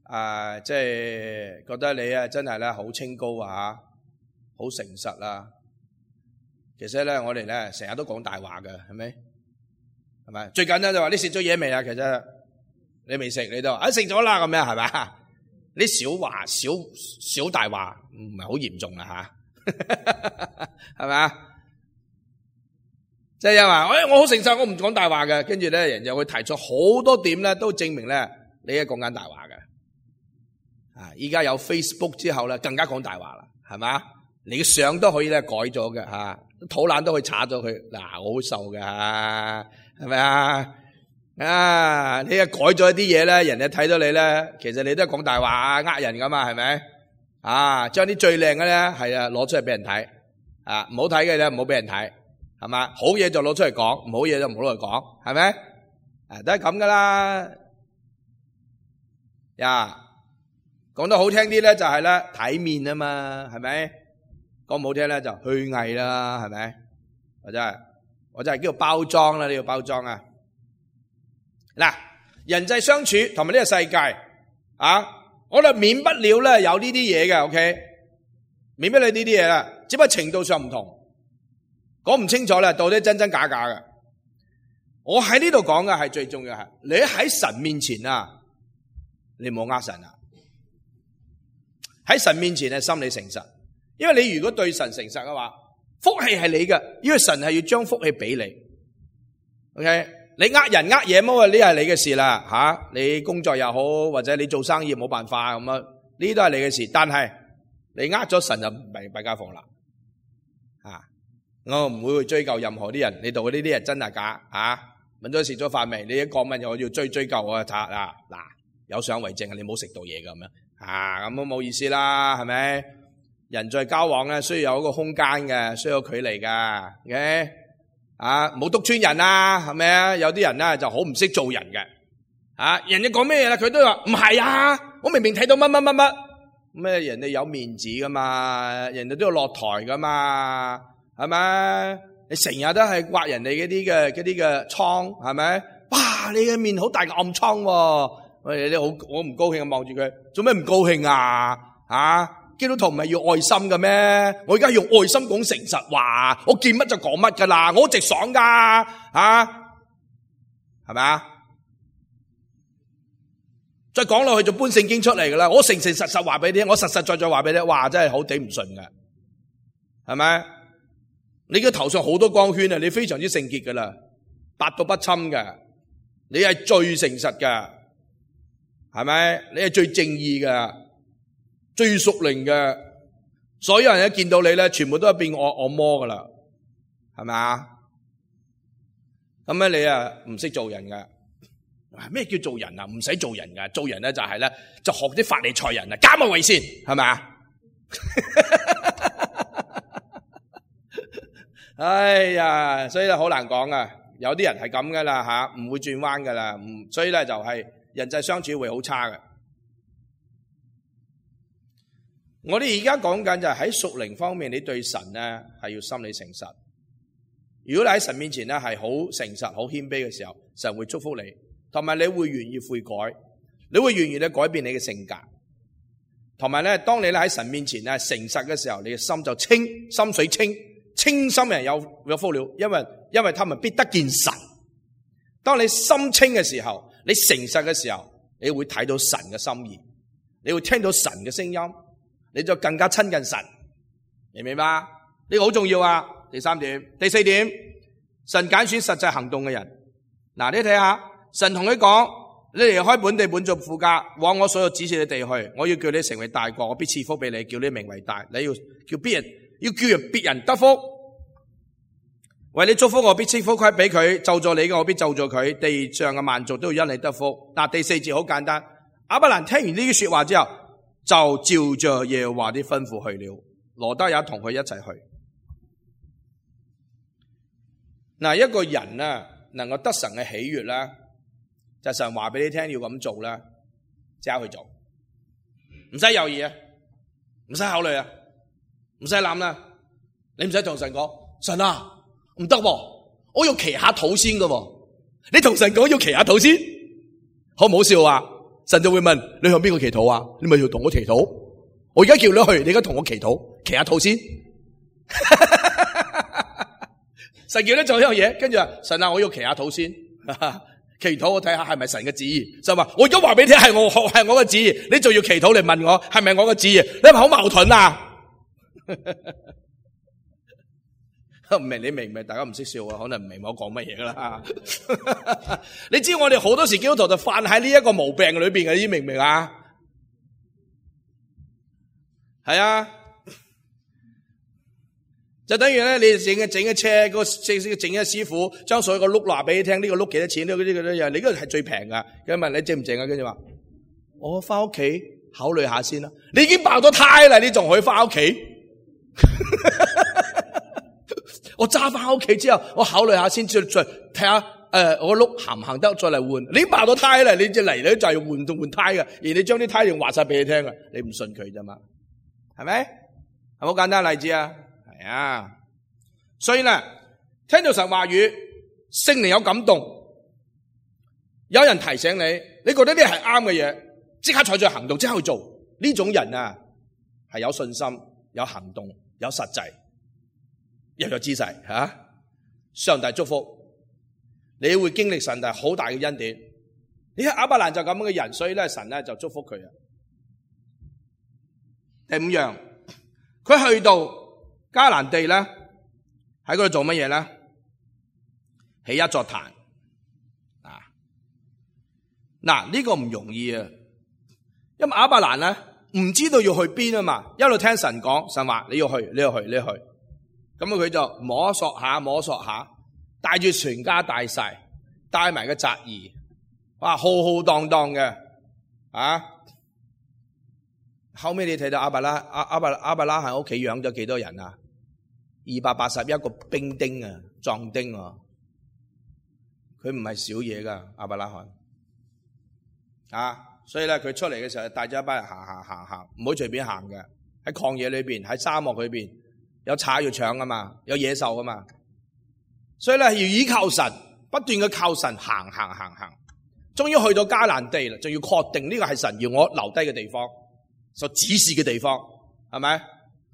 啊，即係覺得你啊真係咧好清高啊，好誠實啊。其實咧，我哋咧成日都講大話嘅，係咪？係咪？最簡單就話你食咗嘢未啊？其實你未食，你都啊食咗啦咁樣係咪？你小話小小大話唔係好嚴重啦吓，係咪啊？即係又話，誒我好誠實，我唔講大話嘅。跟住咧，人就會提出好多點咧，都證明咧你係講緊大話嘅。啊，依家有 Facebook 之後咧，更加講大話啦，係嘛？你嘅相都可以咧改咗嘅吓，肚腩都可以查咗佢。嗱，我好瘦嘅，係咪啊？啊，你啊改咗一啲嘢咧，人哋睇到你咧，其實你都係講大話呃人噶嘛，係咪？啊，將啲最靚嘅咧，係啊，攞出嚟俾人睇，啊，唔好睇嘅咧，唔好俾人睇，係嘛？好嘢就攞出嚟講，唔好嘢就唔好攞嚟講，係咪？啊，都係咁噶啦。呀，講得好聽啲咧，就係咧體面啊嘛，係咪？講唔好聽咧就虛偽啦，係咪？或者係，或者係叫做包裝啦，呢個包裝啊。嗱，人際相處同埋呢個世界啊，我哋免不了咧有呢啲嘢嘅 ，OK， 免不了呢啲嘢啦，只不過程度上唔同，講唔清楚咧，到底真真假假嘅。我喺呢度講嘅係最重要係，你喺神面前啊，你唔好呃神啊，喺神面前係心理誠實，因為你如果對神誠實嘅話，福氣係你嘅，因為神係要將福氣俾你 ，OK。你呃人呃嘢麼？呢係你嘅事啦，吓、啊、你工作又好，或者你做生意冇辦法咁啊，呢都係你嘅事。但係你呃咗神就弊弊家伙啦，啊！我唔會去追究任何啲人，你度呢啲係真係假啊？問咗食咗飯未？你一講問我要追追究我查啊嗱，有相為證啊！你冇食到嘢咁樣啊，咁都冇意思啦，係咪？人在交往咧，需要有一個空間嘅，需要有距離噶 ，OK。啊，冇督穿人啊，係咪啊？有啲人咧就好唔識做人嘅，啊，人哋講咩嘢啦，佢都話唔係啊，我明明睇到乜乜乜乜，咩人哋有面子噶嘛，人哋都要落台噶嘛，係咪？你成日都係刮人哋嗰啲嘅嗰啲嘅瘡，係咪？哇，你嘅面好大嘅暗瘡喎，喂，你好，我唔高興啊，望住佢，做咩唔高興啊？啊？基督徒唔係要愛心嘅咩？我而家用愛心講誠實話，我見乜就講乜噶啦，我直爽噶，啊，係咪啊？再講落去就搬聖經出嚟噶啦，我誠誠實實話俾你聽，我實實在在話俾你聽，哇，真係好頂唔順嘅，係咪？你嘅頭上好多光圈啊，你非常之聖潔噶啦，百毒不侵嘅，你係最誠實嘅，係咪？你係最正義嘅。最屬靈嘅，所有人一見到你咧，全部都係變惡惡魔噶啦，係咪啊？咁咧你啊唔識做人噶，咩叫做人啊？唔使做人噶，做人咧就係咧就學啲法利賽人啊，假冒為善，係咪啊？哎呀，所以咧好難講啊，有啲人係咁噶啦吓，唔會轉彎噶啦，唔所以咧就係人際相處會好差嘅。我哋而家講緊就係喺屬靈方面，你對神咧係要心理誠實。如果你喺神面前咧係好誠實、好謙卑嘅時候，神會祝福你，同埋你會願意悔改，你會願意咧改變你嘅性格，同埋咧當你咧喺神面前咧誠實嘅時候，你嘅心就清，心水清，清心人有有福了，因為因為他們必得見神。當你心清嘅時候，你誠實嘅時候，你會睇到神嘅心意，你會聽到神嘅聲音。你就更加親近神，明唔明白？呢個好重要啊！第三點，第四點，神揀選實際行動嘅人。嗱，你睇下，神同佢講：你離開本地本族父家，往我所有指示嘅地去，我要叫你成為大國，我必賜福俾你，叫你名為大。你要叫別人，要叫人別人得福。為你祝福，我必賜福給俾佢；咒詛你嘅，我必咒詛佢。地上嘅萬族都要因你得福。嗱，第四節好簡單。亞伯蘭聽完呢啲說話之後，就照着耶和華啲吩咐去了，羅得也同佢一齊去。嗱，一個人啊，能夠得神嘅喜悅啦，就神話俾你聽要咁做啦，即刻去做，唔使猶豫啊，唔使考慮啊，唔使諗啦，你唔使同神講，神啊，唔得喎，我要祈下禱先噶喎，你同神講要祈下禱先，好唔好笑啊？神就會問你向邊個祈禱啊？你咪要同我祈禱。我而家叫你去，你而家同我祈禱，祈下禱先。神叫你做呢樣嘢，跟住話神啊，我要祈下禱先。祈禱我睇下係咪神嘅旨意，就話我而家話俾你聽係我係我嘅旨意，你仲要祈禱嚟問我係咪我嘅旨意？你係咪好矛盾啊？唔明你明唔明？大家唔識笑啊，可能唔明我講乜嘢噶啦。你知我哋好多時基督徒就犯喺呢一個毛病裏邊嘅，你明唔明啊？係啊，就等於咧，你整嘅整嘅車，個整整嘅師傅將所有個碌話俾你聽，呢個碌幾多錢？呢個呢個呢樣，你嗰個係最平噶。佢問你整唔整啊？跟住話我翻屋企考慮下先啦。你已經爆咗胎啦，你仲可以翻屋企？我揸翻屋企之後，我考慮下先，再再睇下誒，我碌行唔行得，再嚟換。你爆咗胎啦，你只嚟咧就係換換換胎嘅，而你將啲胎用話晒俾你聽啊，你唔信佢啫嘛？係咪？係好簡單例子啊？係啊。所以咧，聽到神話語，聖靈有感動，有人提醒你，你覺得呢係啱嘅嘢，即刻採取行動，即刻去做。呢種人啊，係有信心、有行動、有實際。又有姿勢吓，上帝祝福你會經歷上帝好大嘅恩典。你睇亞伯蘭就咁樣嘅人，所以咧神咧就祝福佢啊。第五樣，佢去到迦南地咧，喺嗰度做乜嘢咧？起一座壇啊！嗱，呢個唔容易啊，因為亞伯蘭咧唔知道要去邊啊嘛，一路聽神講，神話你要去，你要去，你要去。咁佢就摸索下摸索下，帶住全家大細，帶埋個侄兒，哇，浩浩蕩蕩嘅啊！後尾你睇到亞伯拉阿阿伯亞伯拉喺屋企養咗幾多人啊？二百八十一個兵丁啊，壯丁啊，佢唔係少嘢噶亞伯拉罕啊！所以咧，佢出嚟嘅時候帶咗一班人行行行行，唔好隨便行嘅，喺曠野裏邊，喺沙漠裏邊。有賊要搶啊嘛，有野獸啊嘛，所以咧要依靠神，不斷嘅靠神行行行行，終於去到迦南地啦，仲要確定呢個係神要我留低嘅地方，所指示嘅地方，係咪？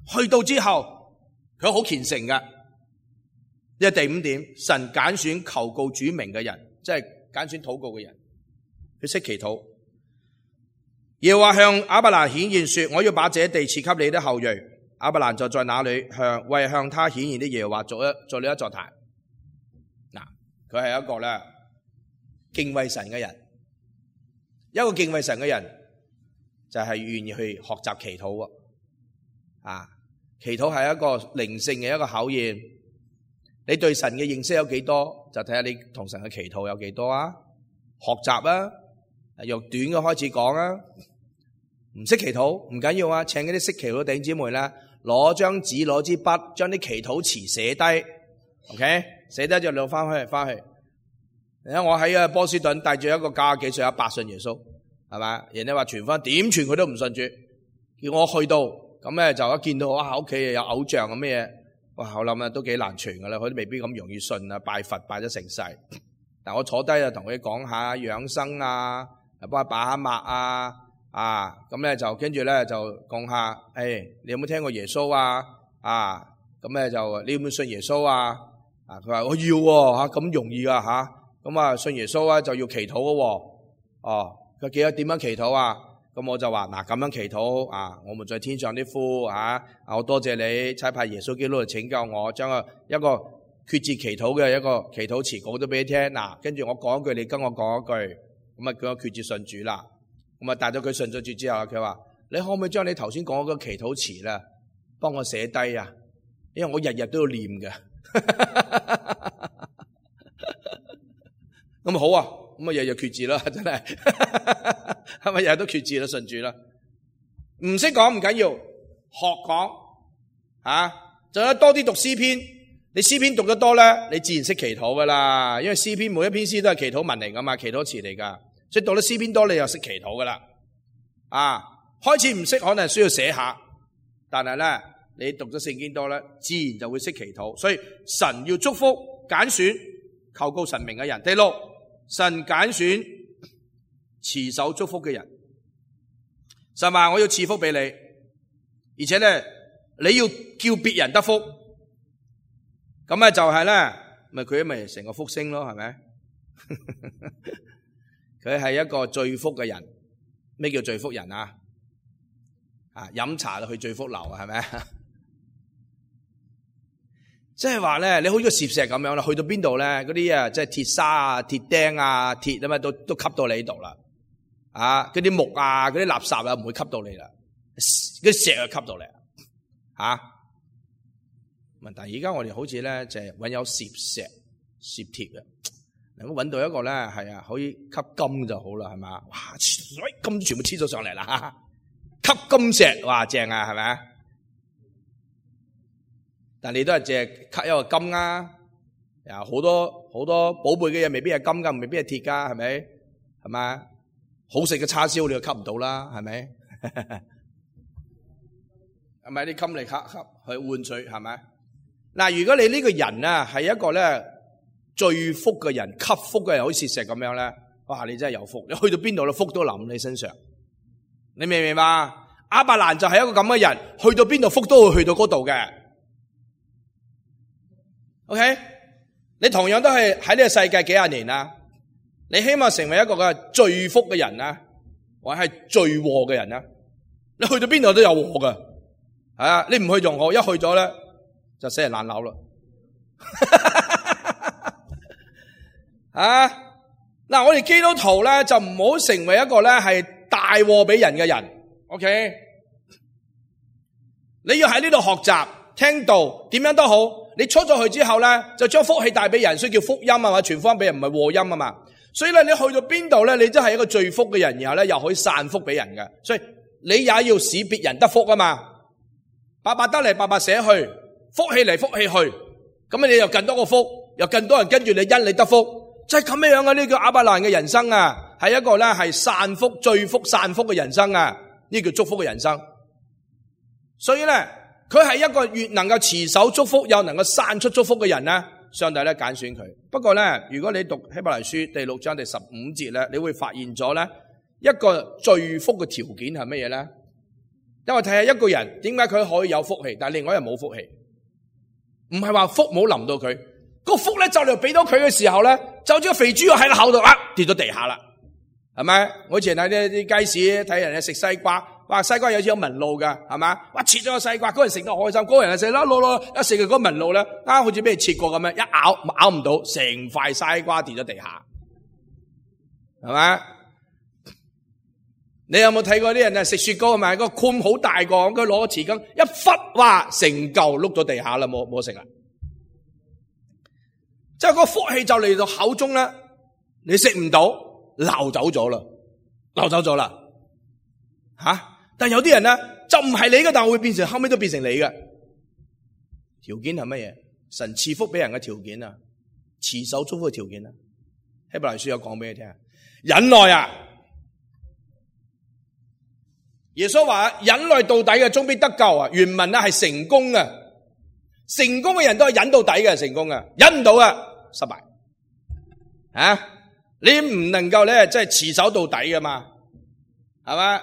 去到之後，佢好虔誠嘅。呢個第五點，神揀選求告主名嘅人，即係揀選禱告嘅人，佢識祈禱。耶和華向亞伯蘭顯現說：我要把這地賜給你的後裔。亞伯蘭就在那裏向為向他顯現的耶和華做一做了一座壇。嗱，佢係一個咧敬畏神嘅人，一個敬畏神嘅人就係願意去學習祈禱啊！祈禱係一個靈性嘅一個考驗，你對神嘅認識有幾多，就睇下你同神嘅祈禱有幾多啊！學習啊，由短嘅開始講啊，唔識祈禱唔緊要啊，請嗰啲識祈禱嘅弟兄姊妹咧。攞張紙攞支筆，將啲祈禱詞寫低 ，OK， 寫低就攞翻去翻去。你睇我喺啊波士頓帶住一個九十幾歲阿伯信耶穌，係咪？人哋話傳翻點傳佢都唔信主，叫我去到咁咧就一見到哇屋企有偶像咁咩嘢，哇我諗啊都幾難傳噶啦，佢都未必咁容易信啊，拜佛拜咗成世。但我坐低啊同佢講下養生啊，幫佢把下脈啊。啊，咁咧就跟住咧就講下，誒、哎，你有冇聽過耶穌啊？啊，咁咧就你有冇信耶穌啊？啊，佢話我要喎，吓咁容易噶吓，咁啊信耶穌啊就要祈禱嘅喎，哦，佢記得點樣祈禱啊？咁我就話嗱咁樣祈禱啊，我們在天上啲父啊，我多謝你差派耶穌基督嚟拯救我，將個一個決志祈禱嘅一個祈禱詞講咗俾你聽，嗱，跟住我講一句，你跟我講一句，咁啊叫我決志信主啦。咁啊，帶咗佢信咗主之後，佢話：你可唔可以將你頭先講嗰個祈禱詞咧，幫我寫低啊？因為我日日都要念嘅。咁好啊，咁啊日日決志啦，真係，係咪日日都決志啦？信主啦，唔識講唔緊要，學講啊，仲有多啲讀詩篇。你詩篇讀得多咧，你自然識祈禱噶啦。因為詩篇每一篇詩都係祈禱文嚟噶嘛，祈禱詞嚟噶。所以讀得詩篇多，你又識祈禱噶啦。啊，開始唔識可能需要寫下，但係咧你讀咗聖經多咧，自然就會識祈禱。所以神要祝福揀選求告神名嘅人。第六，神揀選持守祝福嘅人。神話我要賜福俾你，而且咧你要叫別人得福。咁咧就係咧，咪佢咪成個福星咯，係咪？佢係一個最福嘅人。咩叫最福人啊？啊，飲茶就去最福樓啊，係咪？即係話咧，你好似個攝石咁樣啦，去到邊度咧，嗰啲啊，即係鐵砂啊、鐵釘啊、鐵啊嘛，都都吸到你呢度啦。啊，嗰啲木啊、嗰啲垃圾啊，唔會吸到你啦。嗰啲石啊，吸到你啊。問題而家我哋好似咧，就係揾有攝石、攝鐵啊。能夠揾到一個咧，係啊，可以吸金就好啦，係嘛？哇，金全部黐咗上嚟啦，吸金石，哇，正啊，係咪啊？但你都係淨係吸一個金啊，啊，好多好多寶貝嘅嘢未必係金噶，未必係鐵噶，係咪？係嘛？好食嘅叉燒你又吸唔到啦，係咪？係咪啲金嚟吸吸去換取，係咪？嗱，如果你呢個人啊係一個咧。最福嘅人，吸福嘅人，好似石咁樣咧，哇！你真係有福，你去到邊度咧，福都臨你身上。你明唔明白？亞伯蘭就係一個咁嘅人，去到邊度福都會去到嗰度嘅。OK， 你同樣都係喺呢個世界幾廿年啦，你希望成為一個嘅最福嘅人啊，或者係最禍嘅人啊？你去到邊度都有禍噶，係啊！你唔去仲好，一去咗咧就死人爛樓啦。啊！嗱，我哋基督徒咧就唔好成為一個咧係大禍俾人嘅人。OK， 你要喺呢度學習聽道，點樣都好。你出咗去之後咧，就將福氣帶俾人，所以叫福音啊嘛，傳福音俾人唔係禍音啊嘛。所以咧，你去到邊度咧，你真係一個最福嘅人，然後咧又可以散福俾人嘅。所以你也要使別人得福啊嘛，白白得嚟，白白捨去，福氣嚟，福氣去，咁你又更多個福，又更多人跟住你，因你得福。就係咁樣樣啊！呢個亞伯蘭嘅人生啊，係一個咧係散福、最福、散福嘅人生啊！呢叫祝福嘅人生。所以咧，佢係一個越能夠持守祝福，又能夠散出祝福嘅人咧，上帝咧揀選佢。不過咧，如果你讀希伯來書第六章第十五節咧，你會發現咗咧一個最福嘅條件係乜嘢咧？因為睇下一個人點解佢可以有福氣，但係另外一人冇福氣，唔係話福冇臨到佢。個福咧就嚟俾到佢嘅時候咧，就好似個肥豬肉喺個口度啊跌咗地下啦，係咪？我以前喺啲啲街市睇人哋食西瓜，哇西瓜有似有紋路噶，係咪？哇切咗個西瓜，嗰人食得開心，嗰人就食啦，攞攞一食佢嗰個紋路咧，啊好似俾人切過咁樣，一咬咬唔到，成塊西瓜跌咗地下，係咪？你有冇睇過啲人啊食雪糕係咪？個罐好大個，佢攞個匙羹一忽，哇成嚿碌咗地下啦，冇冇食啦。即係個福氣就嚟到口中咧，你食唔到，流走咗啦，流走咗啦，吓、啊！但係有啲人咧就唔係你嘅，但係會變成後尾都變成你嘅。條件係乜嘢？神賜福俾人嘅條件啊，持守祝福嘅條件啊。希伯來書有講俾你聽，忍耐啊！耶穌話忍耐到底嘅，終必得救啊！原文咧係成功啊！成功嘅人都係忍到底嘅，成功嘅，忍唔到啊，失敗啊！你唔能夠咧，即係持守到底噶嘛，係嘛？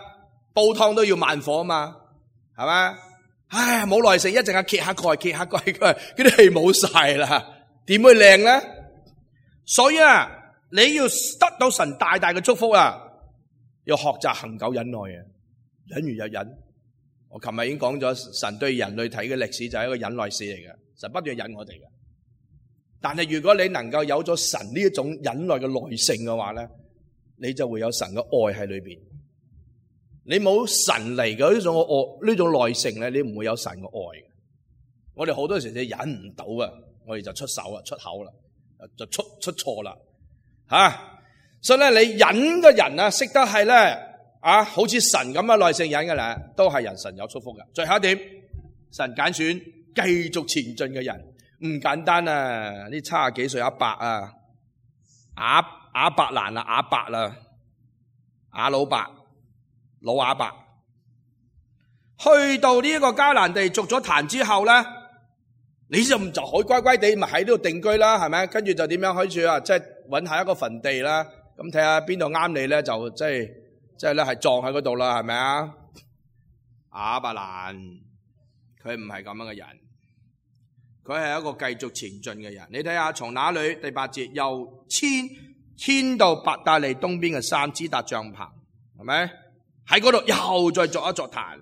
煲湯都要慢火啊嘛，係嘛？唉，冇耐性，一陣間揭下蓋，揭下蓋，佢嗰啲氣冇晒啦，點會靚咧？所以啊，你要得到神大大嘅祝福啊，要學習恒久忍耐啊，忍完又忍。我琴日已經講咗，神對人類睇嘅歷史就係一個忍耐史嚟嘅，神不斷忍我哋嘅。但係如果你能夠有咗神呢一種忍耐嘅耐性嘅話咧，你就會有神嘅愛喺裏邊。你冇神嚟嘅呢種愛，呢種耐性咧，你唔會有神嘅愛嘅。我哋好多時就忍唔到啊，我哋就出手啊，出口啦，就出出錯啦，吓、啊。所以咧，你忍嘅人啊，識得係咧。啊，好似神咁嘅耐性忍嘅咧，都係人神有祝福嘅。最後一點，神揀選繼續前進嘅人，唔簡單啊！呢七十幾歲阿伯啊，亞亞伯蘭啊，亞伯啦，亞老伯，老亞伯，去到呢一個迦南地築咗壇之後咧，你就就可以乖乖地咪喺呢度定居啦，係咪？跟住就點樣開始啊？即係搵下一個墳地啦，咁睇下邊度啱你咧，就即係。即係咧，係撞喺嗰度啦，係咪啊？亞伯蘭佢唔係咁樣嘅人，佢係一個繼續前進嘅人。你睇下從哪裏第八節，又遷遷到伯特利東邊嘅山，支搭帳棚，係咪？喺嗰度又再作一座壇。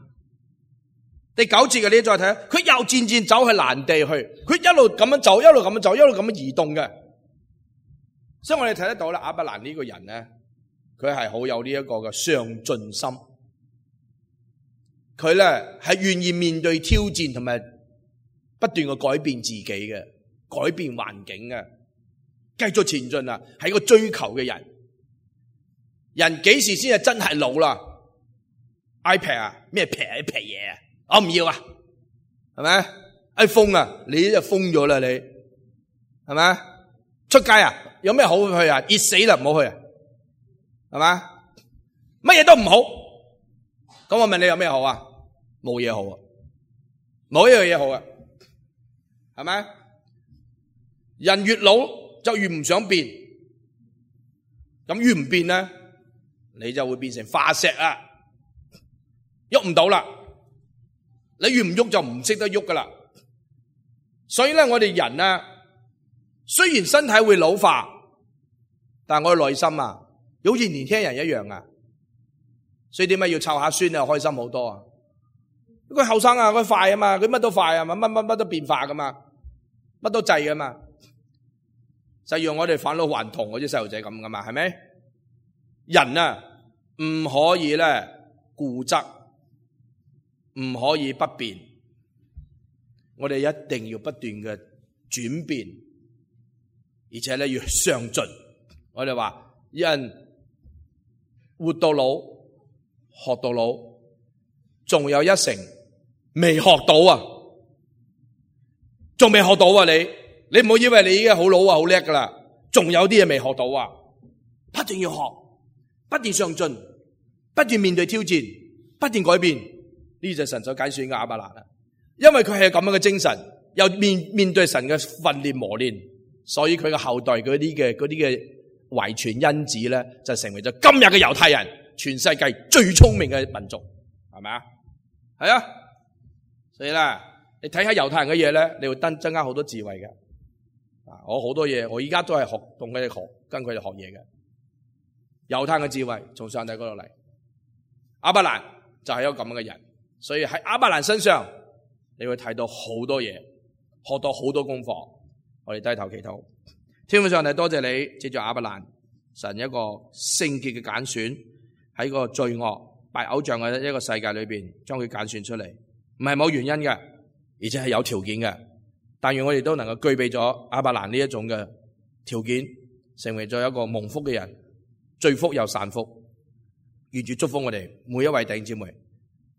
第九節嘅你再睇，佢又漸漸走去蘭地去，佢一路咁樣走，一路咁樣走，一路咁樣移動嘅。所以我哋睇得到啦，亞伯蘭呢個人咧，佢係好有呢一個嘅上進心。佢咧係願意面對挑戰同埋不斷嘅改變自己嘅，改變環境嘅，繼續前進啊！係一個追求嘅人。人幾時先係真係老啦 ？iPad 啊，咩平一平嘢啊？我唔要啊，係咪 ？iPhone 啊，你就封咗啦，你係咪？出街啊，有咩好去啊？熱死啦，唔好去啊，係嘛？乜嘢都唔好。咁我問你有咩好啊？冇嘢好啊，冇一樣嘢好啊，係咪？人越老就越唔想變，咁越唔變咧，你就會變成化石啊，喐唔到啦。你越唔喐就唔識得喐噶啦。所以咧，我哋人啊，雖然身體會老化，但係我哋內心啊，好似年輕人一樣啊。所以點解要湊下孫啊，開心好多啊？佢後生啊，佢快啊嘛，佢乜都快啊嘛，乜乜乜都變化噶嘛，乜都制噶嘛，就讓我哋返老還童嗰啲細路仔咁噶嘛，係咪？人啊，唔可以咧固執，唔可以不變，我哋一定要不斷嘅轉變，而且咧要上進。我哋話人活到老，學到老，仲有一成未學到啊，仲未學到啊！你你唔好以為你已經好老啊，好叻噶啦，仲有啲嘢未學到啊！不斷要學，不斷上進，不斷面對挑戰，不斷改變。呢就係神所揀選嘅亞伯蘭啦，因為佢係咁樣嘅精神，又面面對神嘅訓練磨練，所以佢嘅後代嗰啲嘅嗰啲嘅遺傳因子咧，就成為咗今日嘅猶太人，全世界最聰明嘅民族，係咪啊？係啊，所以咧，你睇下猶太人嘅嘢咧，你會增增加好多智慧嘅。啊，我好多嘢，我而家都係學同佢哋學，跟佢哋學嘢嘅。猶太人嘅智慧從上帝嗰度嚟，亞伯蘭就係一個咁樣嘅人。所以喺亞伯蘭身上，你會睇到好多嘢，學到好多功課。我哋低頭祈禱，天父上帝，多謝你借住亞伯蘭，神一個聖潔嘅揀選，喺個罪惡拜偶像嘅一個世界裏邊，將佢揀選出嚟，唔係冇原因嘅，而且係有條件嘅。但願我哋都能夠具備咗亞伯蘭呢一種嘅條件，成為咗一個蒙福嘅人，罪福又散福。願主祝福我哋每一位弟兄姊妹，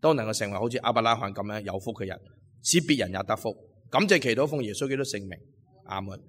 都能夠成為好似亞伯拉罕咁樣有福嘅人，使別人也得福。感謝祈禱奉耶穌基督聖名，阿門。